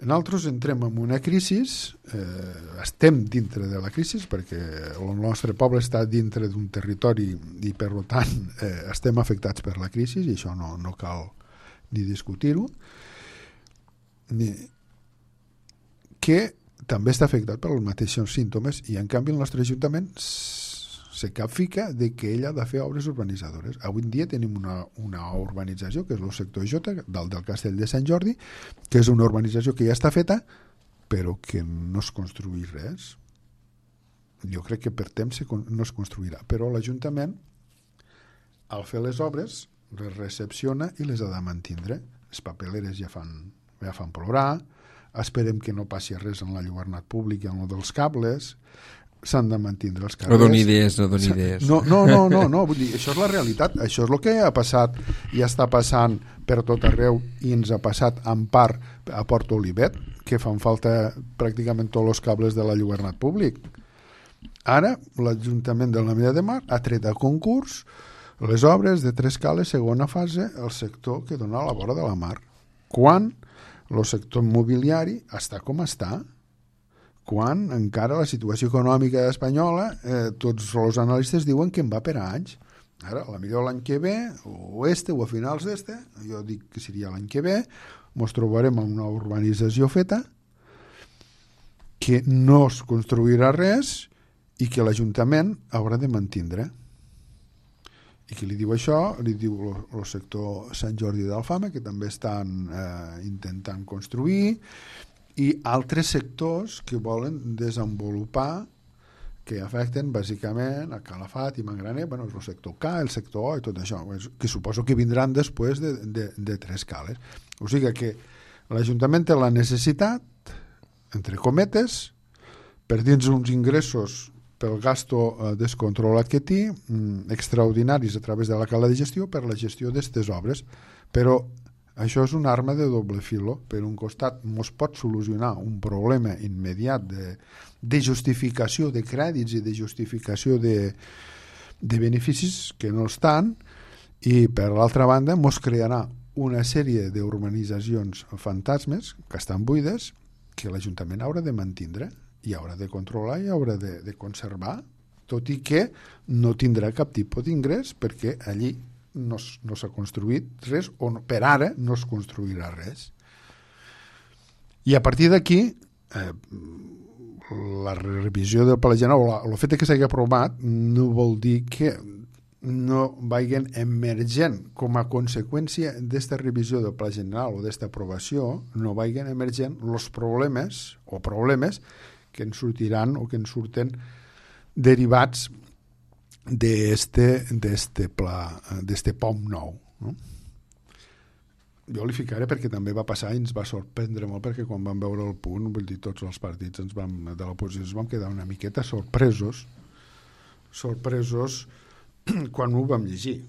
Nosaltres entrem en una crisi, eh, estem dintre de la crisi perquè el nostre poble està dintre d'un territori i per tant eh, estem afectats per la crisi i això no, no cal ni discutir-ho, ni... que també està afectat per els mateixos símptomes i en canvi el nostre Ajuntament se capfica de que ell ha de fer obres urbanitzadores. Avui en dia tenim una, una urbanització que és el sector J, dalt del Castell de Sant Jordi, que és una urbanització que ja està feta però que no es construï res. Jo crec que per temps no es construirà, però l'Ajuntament al fer les obres les recepciona i les ha de mantindre. Les papeleres ja fan, ja fan plorar, esperem que no passi res en la lluernat públic i en el dels cables, s'han de mantindre els carrers. No doni idees, no doni idees. No, no, no, no, no, vull dir, això és la realitat, això és el que ha passat i està passant per tot arreu i ens ha passat en part a Port Olivet, que fan falta pràcticament tots els cables de la lluernat públic. Ara, l'Ajuntament de l'Ametlla de Mar ha tret a concurs les obres de tres cales segona fase al sector que dona a la vora de la mar. Quan el sector immobiliari està com està, quan encara la situació econòmica espanyola, eh, tots els analistes diuen que en va per a anys. Ara, a la millor l'any que ve, o este, o a finals d'este, jo dic que seria l'any que ve, ens trobarem en una urbanització feta que no es construirà res i que l'Ajuntament haurà de mantindre. I qui li diu això? Li diu el sector Sant Jordi d'Alfama, que també estan eh, intentant construir, i altres sectors que volen desenvolupar, que afecten bàsicament a Calafat i Mangraner, bueno, el sector K, el sector O i tot això, que suposo que vindran després de, de, de Trescales. O sigui que l'Ajuntament té la necessitat, entre cometes, per dins uns ingressos pel gasto eh, descontrolat que té, mm, extraordinaris a través de la cala de gestió per la gestió d'aquestes obres. Però això és una arma de doble filo. Per un costat ens pot solucionar un problema immediat de, de justificació de crèdits i de justificació de, de beneficis que no estan, i per l'altra banda ens crearà una sèrie d'urbanitzacions fantasmes que estan buides, que l'Ajuntament haurà de mantindre i haurà de controlar i haurà de, de conservar, tot i que no tindrà cap tipus d'ingrés perquè allí no, no s'ha construït res, o no, per ara no es construirà res. I a partir d'aquí eh, la revisió del Pla General, o el fet que s'hagi aprovat, no vol dir que no vagin emergent com a conseqüència d'esta revisió del Pla General o d'esta aprovació, no vagin emergent els problemes o problemes que ens sortiran o que ens surten derivats d'este d'este pla, d'este P O M nou. No? Jo li ficaré perquè també va passar i ens va sorprendre molt, perquè quan vam veure el punt, vull dir, tots els partits ens vam, de l'oposició ens vam quedar una miqueta sorpresos sorpresos quan ho vam llegir.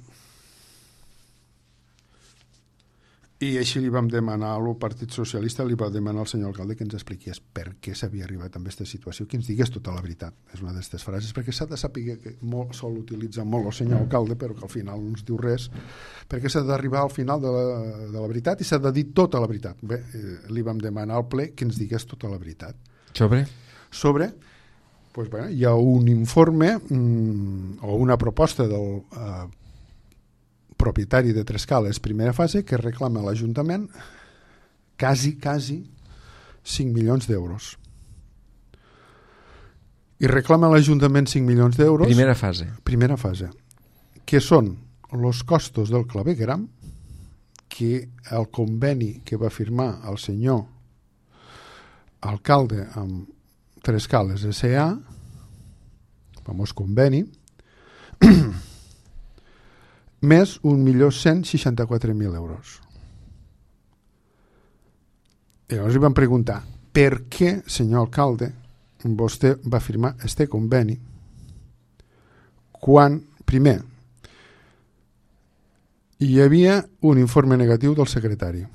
I així li vam demanar al Partit Socialista, li va demanar al senyor alcalde que ens expliqués per què s'havia arribat a aquesta situació, que ens digués tota la veritat. És una d'aquestes frases, perquè s'ha de saber que molt, sol utilitzar molt el senyor alcalde, però que al final no ens diu res, perquè s'ha d'arribar al final de la, de la veritat i s'ha de dir tota la veritat. Bé, eh, li vam demanar al ple que ens digués tota la veritat. Sobre? Sobre... Pues, bueno, hi ha un informe mmm, o una proposta del eh, propietari de Trescales primera fase que reclama a l'Ajuntament quasi, quasi cinc milions d'euros. I reclama a l'Ajuntament cinc milions d'euros... Primera fase. Primera fase. Que són els costos del clavegueram, que el conveni que va firmar el senyor alcalde amb Trescales S A, famós conveni, més un milió cent seixanta-quatre mil euros. I llavors li vam preguntar per què, senyor alcalde, vostè va firmar este conveni quan, primer, hi havia un informe negatiu del secretari.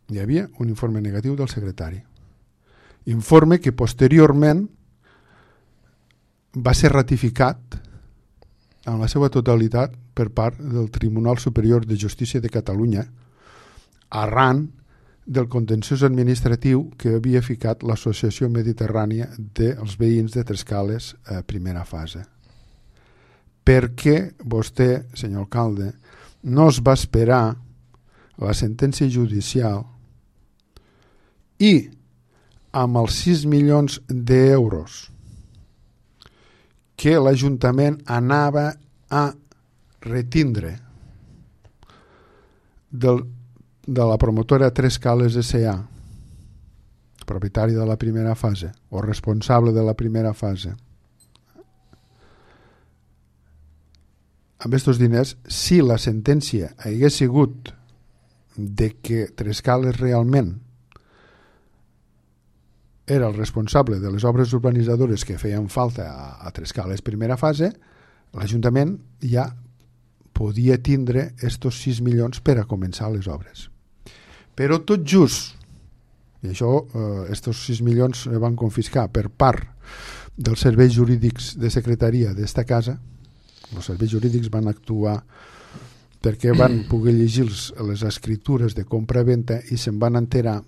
Hi havia un informe negatiu del secretari. Informe que posteriorment va ser ratificat en la seva totalitat per part del Tribunal Superior de Justícia de Catalunya arran del contenciós administratiu que havia ficat l'Associació Mediterrània dels veïns de Trescales a primera fase. Per què vostè, senyor alcalde, no es va esperar la sentència judicial i amb els sis milions d'euros que l'Ajuntament anava a retindre del, de la promotora Trescales S A, propietari de la primera fase o responsable de la primera fase, amb aquests diners, si la sentència hagués sigut de que Trescales realment era el responsable de les obres urbanitzadores que feien falta a, a Trescales primera fase, l'Ajuntament ja podia tindre estos sis milions per a començar les obres. Però tot just, i això, eh, estos sis milions es van confiscar per part dels serveis jurídics de secretaria d'esta casa. Els serveis jurídics van actuar perquè van poder llegir les escritures de compra-venta i se'n van enterar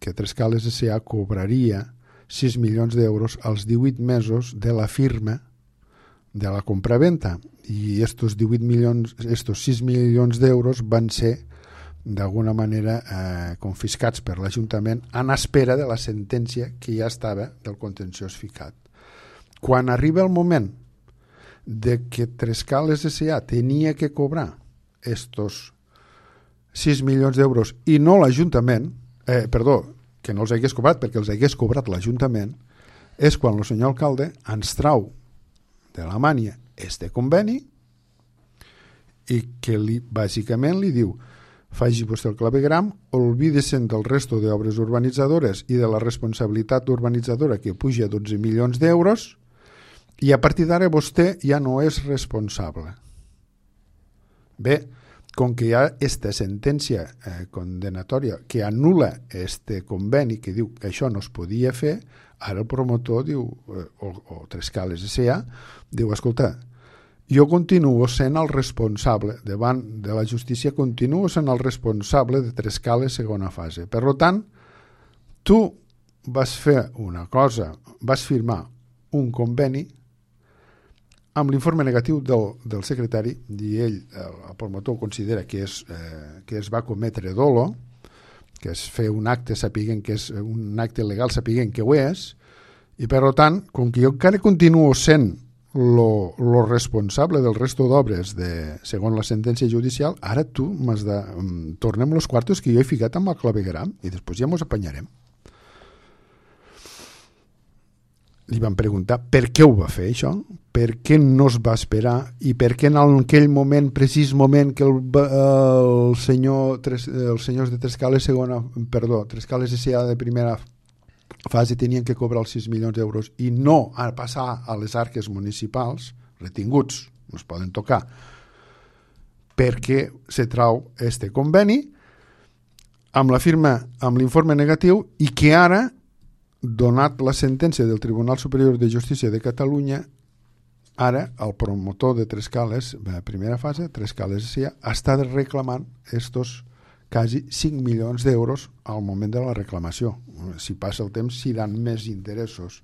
que Trescales S A cobraria sis milions d'euros als divuit mesos de la firma de la compra-venta, i estos divuit milions, estos sis milions d'euros van ser d'alguna manera eh, confiscats per l'Ajuntament en espera de la sentència que ja estava del contenciós ficat. Quan arriba el moment de que Trescales S A tenia que cobrar estos sis milions d'euros i no l'Ajuntament, eh, perdó, que no els hagués cobrat perquè els hagués cobrat l'Ajuntament, és quan el senyor alcalde ens trau de la mània este conveni i que li, bàsicament li diu: faci vostè el clavegram, olvide-se'n del resto d'obres urbanitzadores i de la responsabilitat urbanitzadora que puja a dotze milions d'euros i a partir d'ara vostè ja no és responsable. Bé, com que hi ha aquesta sentència eh, condenatòria que anul·la este conveni que diu que això no es podia fer, ara el promotor diu, eh, o, o Trescales S A diu: escolta, jo continuo sent el responsable davant de la justícia, continuo sent el responsable de Trescales segona fase. Per tant, tu vas fer una cosa, vas firmar un conveni amb l'informe negatiu del, del secretari, i ell, el, el promotor, considera que, és, eh, que es va cometre dolo, que és fer un acte sapiguent que és un acte legal sapiguent que ho és, i per tant, com que jo encara continuo sent lo, lo responsable del resto d'obres de, segons la sentència judicial, ara tu m'has de... tornem los quartos que jo he ficat amb el clavegram i després ja mos apanyarem. Li van preguntar per què ho va fer això, per què no es va esperar i per què en aquell moment, precís moment que el, el senyor, els senyors de Trescales segona, perdó, Trescales S A de primera fase tenien que cobrar els sis milions d'euros i no a passar a les arques municipals, retinguts, no es poden tocar, perquè se trau este conveni amb la firma, amb l'informe negatiu, i que ara, donat la sentència del Tribunal Superior de Justícia de Catalunya, ara el promotor de Trescales, de primera fase, Trescales S A, està reclamant estos quasi cinc milions d'euros al moment de la reclamació. Si passa el temps, seran més interessos.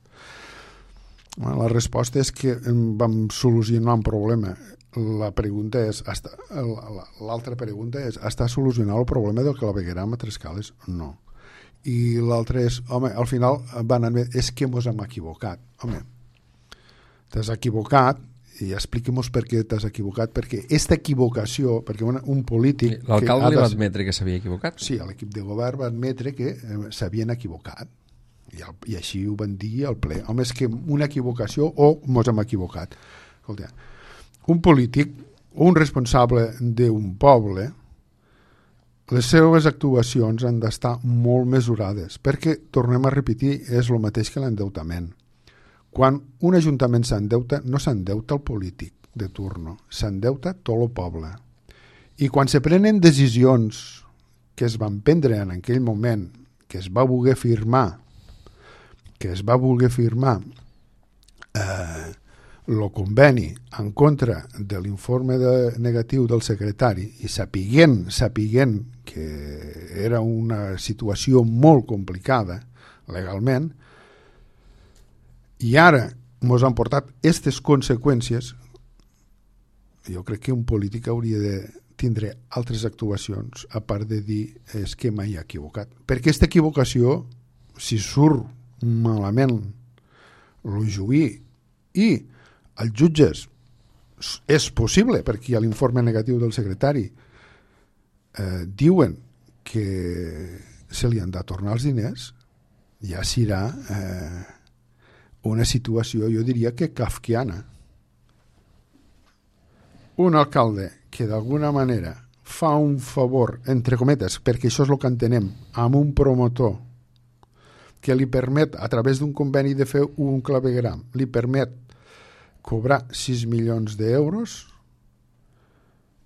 La resposta és que vam solucionar un problema. La pregunta és, l'altra pregunta és, està solucionat el problema del clavegueram a Trescales? No. I l'altre és, home, al final van anar, és que mos hem equivocat. Home, t'has equivocat i expliquem-nos per què t'has equivocat, perquè aquesta equivocació, perquè una, un polític... L'alcalde li va admetre que s'havia equivocat? Sí, l'equip de govern va admetre que eh, s'havien equivocat. I, el, I així ho van dir al ple. Home, és que una equivocació o mos hem equivocat. Escolta, un polític o un responsable d'un poble, les seves actuacions han d'estar molt mesurades, perquè, tornem a repetir, és el mateix que l'endeutament. Quan un ajuntament s'endeuta, no s'endeuta el polític de turno, s'endeuta tot el poble. I quan se prenen decisions que es van prendre en aquell moment, que es va voler firmar, que es va voler firmar eh, el conveni en contra de l'informe de, negatiu del secretari i sapiguent, sapiguent que era una situació molt complicada legalment, i ara ens han portat aquestes conseqüències, jo crec que un polític hauria de tindre altres actuacions a part de dir és que mai ha equivocat. Perquè aquesta equivocació, si surt malament el juí i els jutges, és possible, perquè hi ha l'informe negatiu del secretari, eh, diuen que se li han de tornar els diners, ja serà eh, una situació, jo diria que kafkiana. Un alcalde que d'alguna manera fa un favor, entre cometes, perquè això és el que entenem, amb un promotor que li permet, a través d'un conveni de fer un clavegram, li permet cobrar sis milions d'euros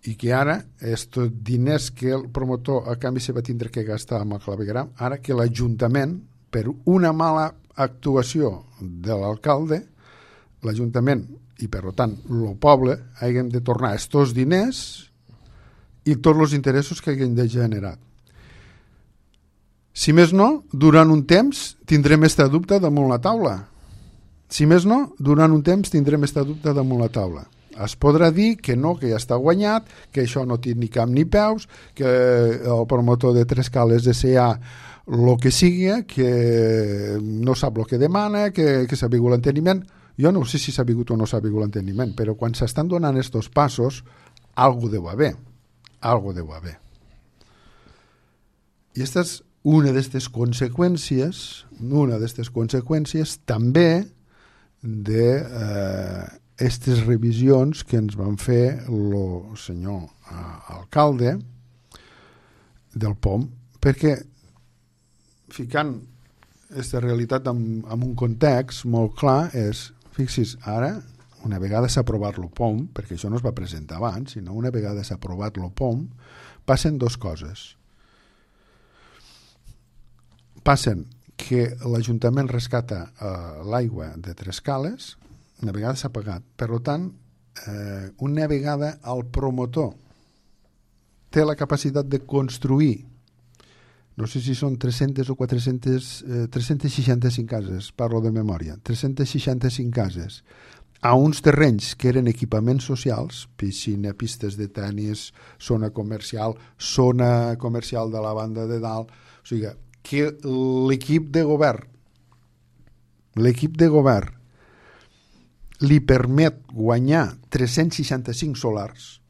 i que ara, estos diners que el promotor a canvi se va tindre que gastar amb el clavegram, ara que l'Ajuntament, per una mala actuació de l'alcalde, l'Ajuntament i per tant el poble hagin de tornar estos diners i tots els interessos que hagin de generar. Si més no, durant un temps tindrem esta dubte damunt la taula. Si més no, durant un temps tindrem esta dubte damunt la taula. Es podrà dir que no, que ja està guanyat, que això no té ni cap ni peus, que el promotor de Trescales S A el que sigui, que no sap el que demana, que, que s'ha vingut l'enteniment. Jo no sé si s'ha vingut o no s'ha vingut l'enteniment, però quan s'estan donant estos passos, algo deu haver. Algo deu haver. I aquesta és una d'aquestes conseqüències, una d'aquestes conseqüències també de eh, aquestes revisions que ens van fer el senyor eh, alcalde del P O M, perquè ficant aquesta realitat en, en un context molt clar és, fixis, ara, una vegada s'ha aprovat el P O M, perquè això no es va presentar abans, sinó una vegada s'ha aprovat el P O M, passen dues coses. Passen que l'Ajuntament rescata eh, l'aigua de Trescales, una vegada s'ha pagat. Per tant, eh, una vegada el promotor té la capacitat de construir, no sé si són tres-centes o quatre-centes, eh, tres-centes seixanta-cinc cases, parlo de memòria, tres-centes seixanta-cinc cases, a uns terrenys que eren equipaments socials, piscina, pistes de tenis, zona comercial, zona comercial de la banda de dalt, o sigui, que l'equip de govern, l'equip de govern li permet guanyar tres-cents seixanta-cinc solars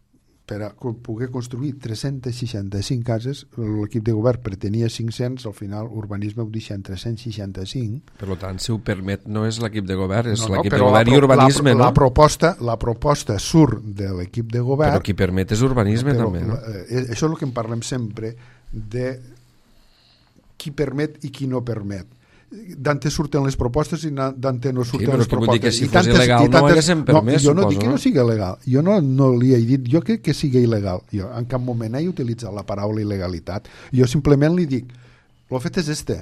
per a poder construir tres-centes seixanta-cinc cases. L'equip de govern pretenia cinc-cents, al final urbanisme ho deixa en tres-cents seixanta-cinc. Per tant, si ho permet, no és l'equip de govern, és no, no, l'equip de govern i urbanisme, la, no? La proposta, la proposta surt de l'equip de govern. Però qui permet és urbanisme, però, també, no? Eh, això és el que en parlem sempre, de qui permet i qui no permet. D'ante surten les propostes i d'ante no surten sí, les propostes. Vull dir que si I fos tantes, il·legal tantes, no haguéssim permès, no, jo no suposo, dic que no, no sigui legal, jo no, no li he dit, jo crec que sigui il·legal, jo en cap moment he utilitzat la paraula il·legalitat, jo simplement li dic, el fet és este,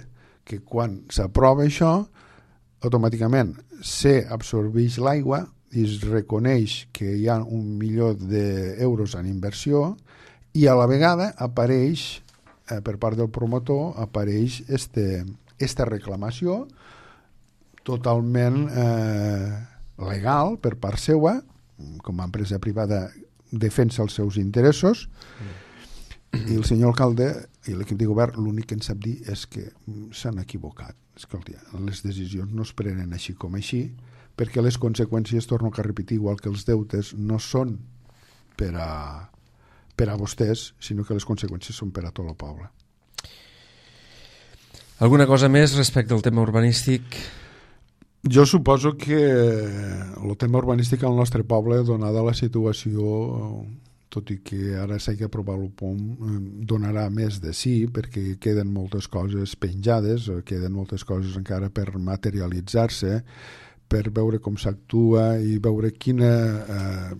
que quan s'aprova això, automàticament s'absorbeix l'aigua i es reconeix que hi ha un milió d'euros en inversió i a la vegada apareix, eh, per part del promotor, apareix este, esta reclamació totalment eh, legal per part seva, com a empresa privada defensa els seus interessos, mm. i el senyor alcalde i l'equip de govern l'únic que en sap dir és que s'han equivocat. Escolta, les decisions no es prenen així com així, perquè les conseqüències, torno a repetir, igual que els deutes, no són per a, per a vostès, sinó que les conseqüències són per a tot el poble. Alguna cosa més respecte al tema urbanístic? Jo suposo que el tema urbanístic al nostre poble, donada la situació, tot i que ara s'hagi aprovat el P O M, donarà més de sí, perquè queden moltes coses penjades, queden moltes coses encara per materialitzar-se, per veure com s'actua i veure quina, eh,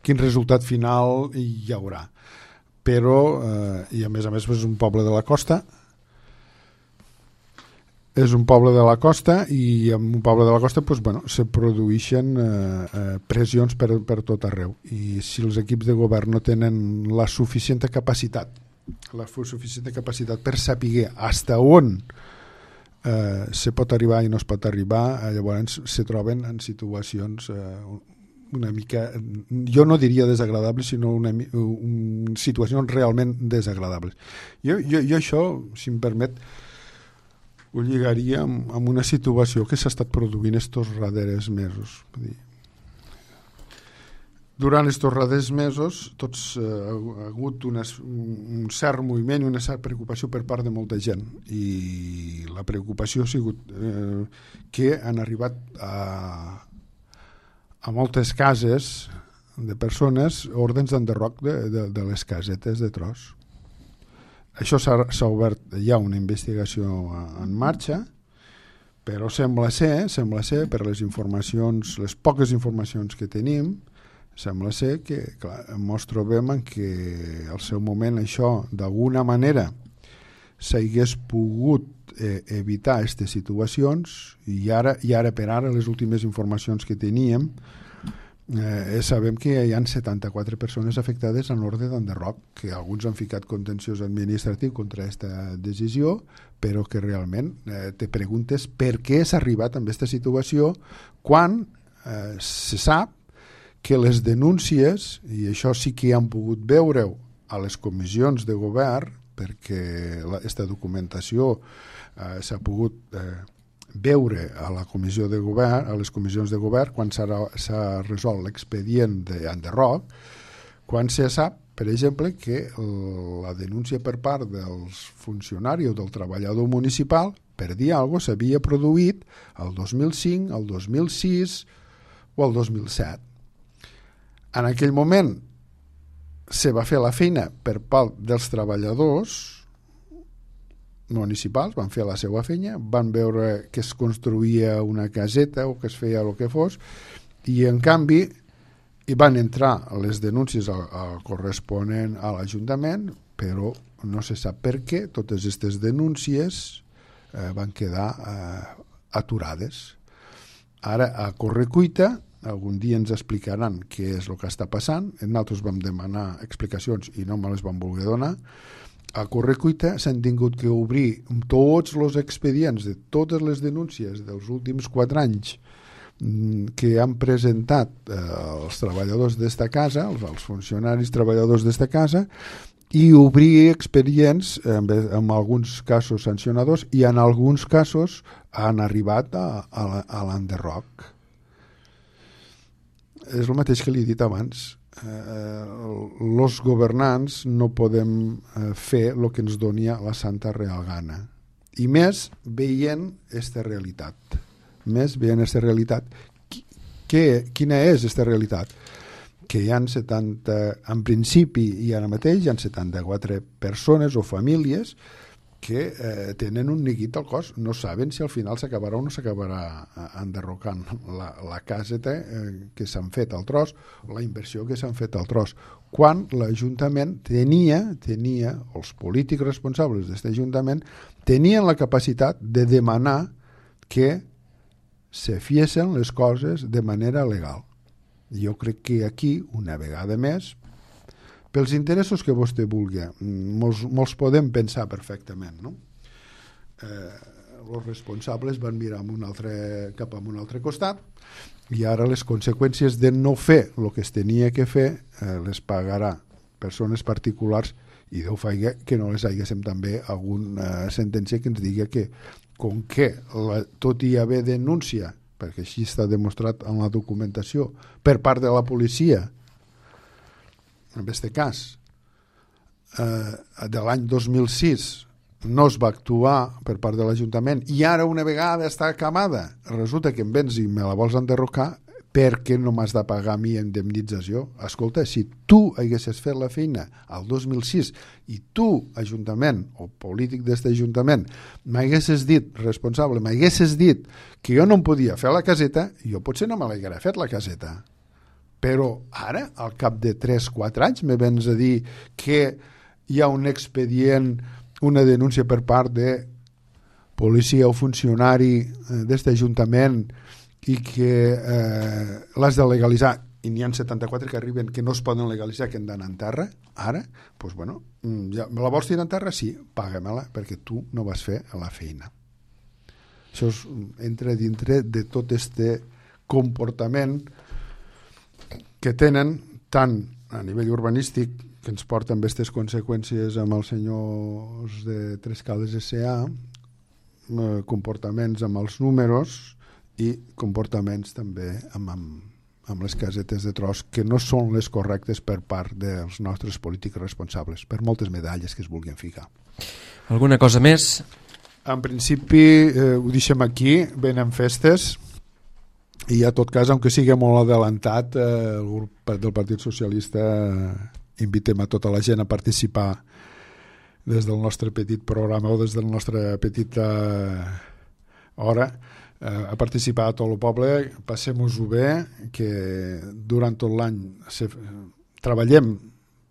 quin resultat final hi haurà. Però, eh, i a més a més és un poble de la costa, és un poble de la costa i en un poble de la costa doncs, bueno, se produeixen eh, eh, pressions per, per tot arreu i si els equips de govern no tenen la suficient capacitat la suficient capacitat per saber hasta on eh, se pot arribar i no es pot arribar, eh, llavors se troben en situacions eh, una mica, jo no diria desagradables, sinó una, un, situacions realment desagradables. Jo, jo, jo això, si em permet, ho lligaria amb, amb una situació que s'ha estat produint estos darrers mesos. Durant estos darrers mesos tots eh, ha hagut unes, un cert moviment i una certa preocupació per part de molta gent i la preocupació ha sigut eh, que han arribat a, a moltes cases de persones ordens d'enderroc de, de, de les casetes de tros. Això s'ha obert ja una investigació en marxa, però sembla ser, sembla ser per les informacions, les poques informacions que tenim, sembla ser que clar, ens trobem en que al seu moment això d'alguna manera s'hagués pogut eh, evitar aquestes situacions i ara, i ara per ara les últimes informacions que teníem Eh, sabem que hi ha setanta-quatre persones afectades en ordre d'enderroc, que alguns han ficat contenciós administratiu contra aquesta decisió, però que realment eh, te preguntes per què s'ha arribat a aquesta situació quan eh, se sap que les denúncies, i això sí que han pogut veure-ho a les comissions de govern, perquè aquesta documentació eh, s'ha pogut eh, veure a la comissió de govern, a les comissions de govern, quan s'ha resolt l'expedient d'Enderroc, quan se sap, per exemple, que la denúncia per part dels funcionaris o del treballador municipal per dir alguna cosa s'havia produït el dos mil cinc, el dos mil sis o el dos mil set. En aquell moment se va fer la feina per part dels treballadors municipals, van fer la seva feina, van veure que es construïa una caseta o que es feia el que fos, i en canvi i van entrar les denúncies al, al corresponent a l'Ajuntament, però no se sap per què totes aquestes denúncies eh, van quedar eh, aturades. Ara, a correcuita, algun dia ens explicaran què és el que està passant. Nosaltres vam demanar explicacions i no me les van voler donar. A correcuita s'han tingut que obrir tots els expedients de totes les denúncies dels últims quatre anys que han presentat eh, els treballadors d'esta casa, els, els funcionaris treballadors d'esta casa, i obrir expedients en, en alguns casos sancionadors, i en alguns casos han arribat a, a l'Enderroc. És el mateix que li he dit abans. Els eh, governants no podem eh, fer el que ens doni la santa real gana, i més veient aquesta realitat. més veient aquesta realitat. Que, quina és aquesta realitat? Que hi ha setanta, en principi i ara mateix hi ha setanta-quatre persones o famílies que eh, tenen un neguit al cos, no saben si al final s'acabarà o no s'acabarà enderrocant la, la caseta eh, que s'han fet al tros, la inversió que s'han fet al tros, quan l'Ajuntament tenia, tenia, els polítics responsables d'aquest Ajuntament tenien la capacitat de demanar que se fiessin les coses de manera legal. Jo crec que aquí, una vegada més, pels interessos que vostè vulgui, molts, molts podem pensar perfectament, no? Eh, els responsables van mirar amb un altre, cap a un altre costat, i ara les conseqüències de no fer el que es tenia que fer eh, les pagarà persones particulars, i Déu faci que no les haguéssim també alguna sentència que ens digui que com que la, tot hi haver denúncia, perquè així està demostrat en la documentació, per part de la policia, en aquest cas, eh, de l'any dos mil sis no es va actuar per part de l'Ajuntament, i ara una vegada està acabada, resulta que em vens i me la vols enderrocar, perquè no m'has de pagar a mi indemnització? Escolta, si tu haguessis fet la feina al dos mil sis i tu, Ajuntament, o polític d'aquest Ajuntament, m'haguessis dit, responsable, m'haguessis dit que jo no em podia fer la caseta, jo potser no me l'haguera fet la caseta. Però ara, al cap de tres o quatre anys, me vens a dir que hi ha un expedient, una denúncia per part de policia o funcionari d'aquest Ajuntament i que eh, l'has de legalitzar, i n'hi ha setanta-quatre que arriben que no es poden legalitzar, que han d'anar en terra, ara, doncs bueno, ja, me la vols tirar en terra? Sí, paga-me-la, perquè tu no vas fer la feina. Això és, entra dintre de tot este comportament que tenen tant a nivell urbanístic, que ens porten aquestes conseqüències amb els senyors de Trescales S A, eh, comportaments amb els números i comportaments també amb, amb, amb les casetes de tros, que no són les correctes per part dels nostres polítics responsables, per moltes medalles que es vulguin ficar. Alguna cosa més? En principi eh, ho deixem aquí, venen festes, i a tot cas, aunque sigui molt adelantat, eh, el grup del Partit Socialista eh, invitem a tota la gent a participar des del nostre petit programa o des de la nostra petita hora, a participar a tot el poble, passem-ho bé, que durant tot l'any se, treballem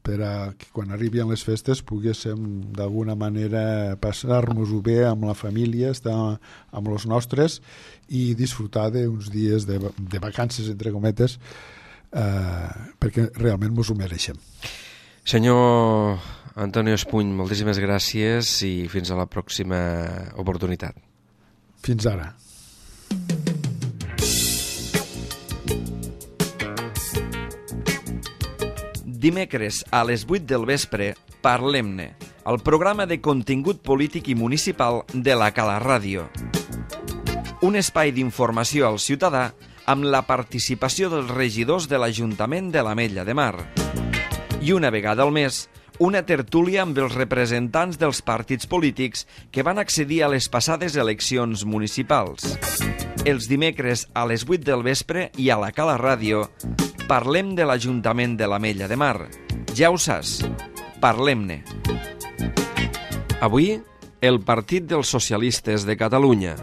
per a que quan arribin les festes poguéssim d'alguna manera passar-nos-ho bé amb la família, estar amb els nostres i disfrutar d'uns dies de, de vacances, entre cometes, eh, perquè realment ens ho mereixem. Senyor Antonio Espuny, moltíssimes gràcies i fins a la pròxima oportunitat. Fins ara. dimecres a les vuit del vespre, Parlem-ne, el programa de contingut polític i municipal de la Cala Ràdio. Un espai d'informació al ciutadà amb la participació dels regidors de l'Ajuntament de l'Ametlla de Mar. I una vegada al mes, una tertúlia amb els representants dels partits polítics que van accedir a les passades eleccions municipals. Els dimecres a les vuit del vespre i a la Cala Ràdio parlem de l'Ajuntament de l'Ametlla de Mar. Ja ho saps, parlem-ne. Avui, el Partit dels Socialistes de Catalunya.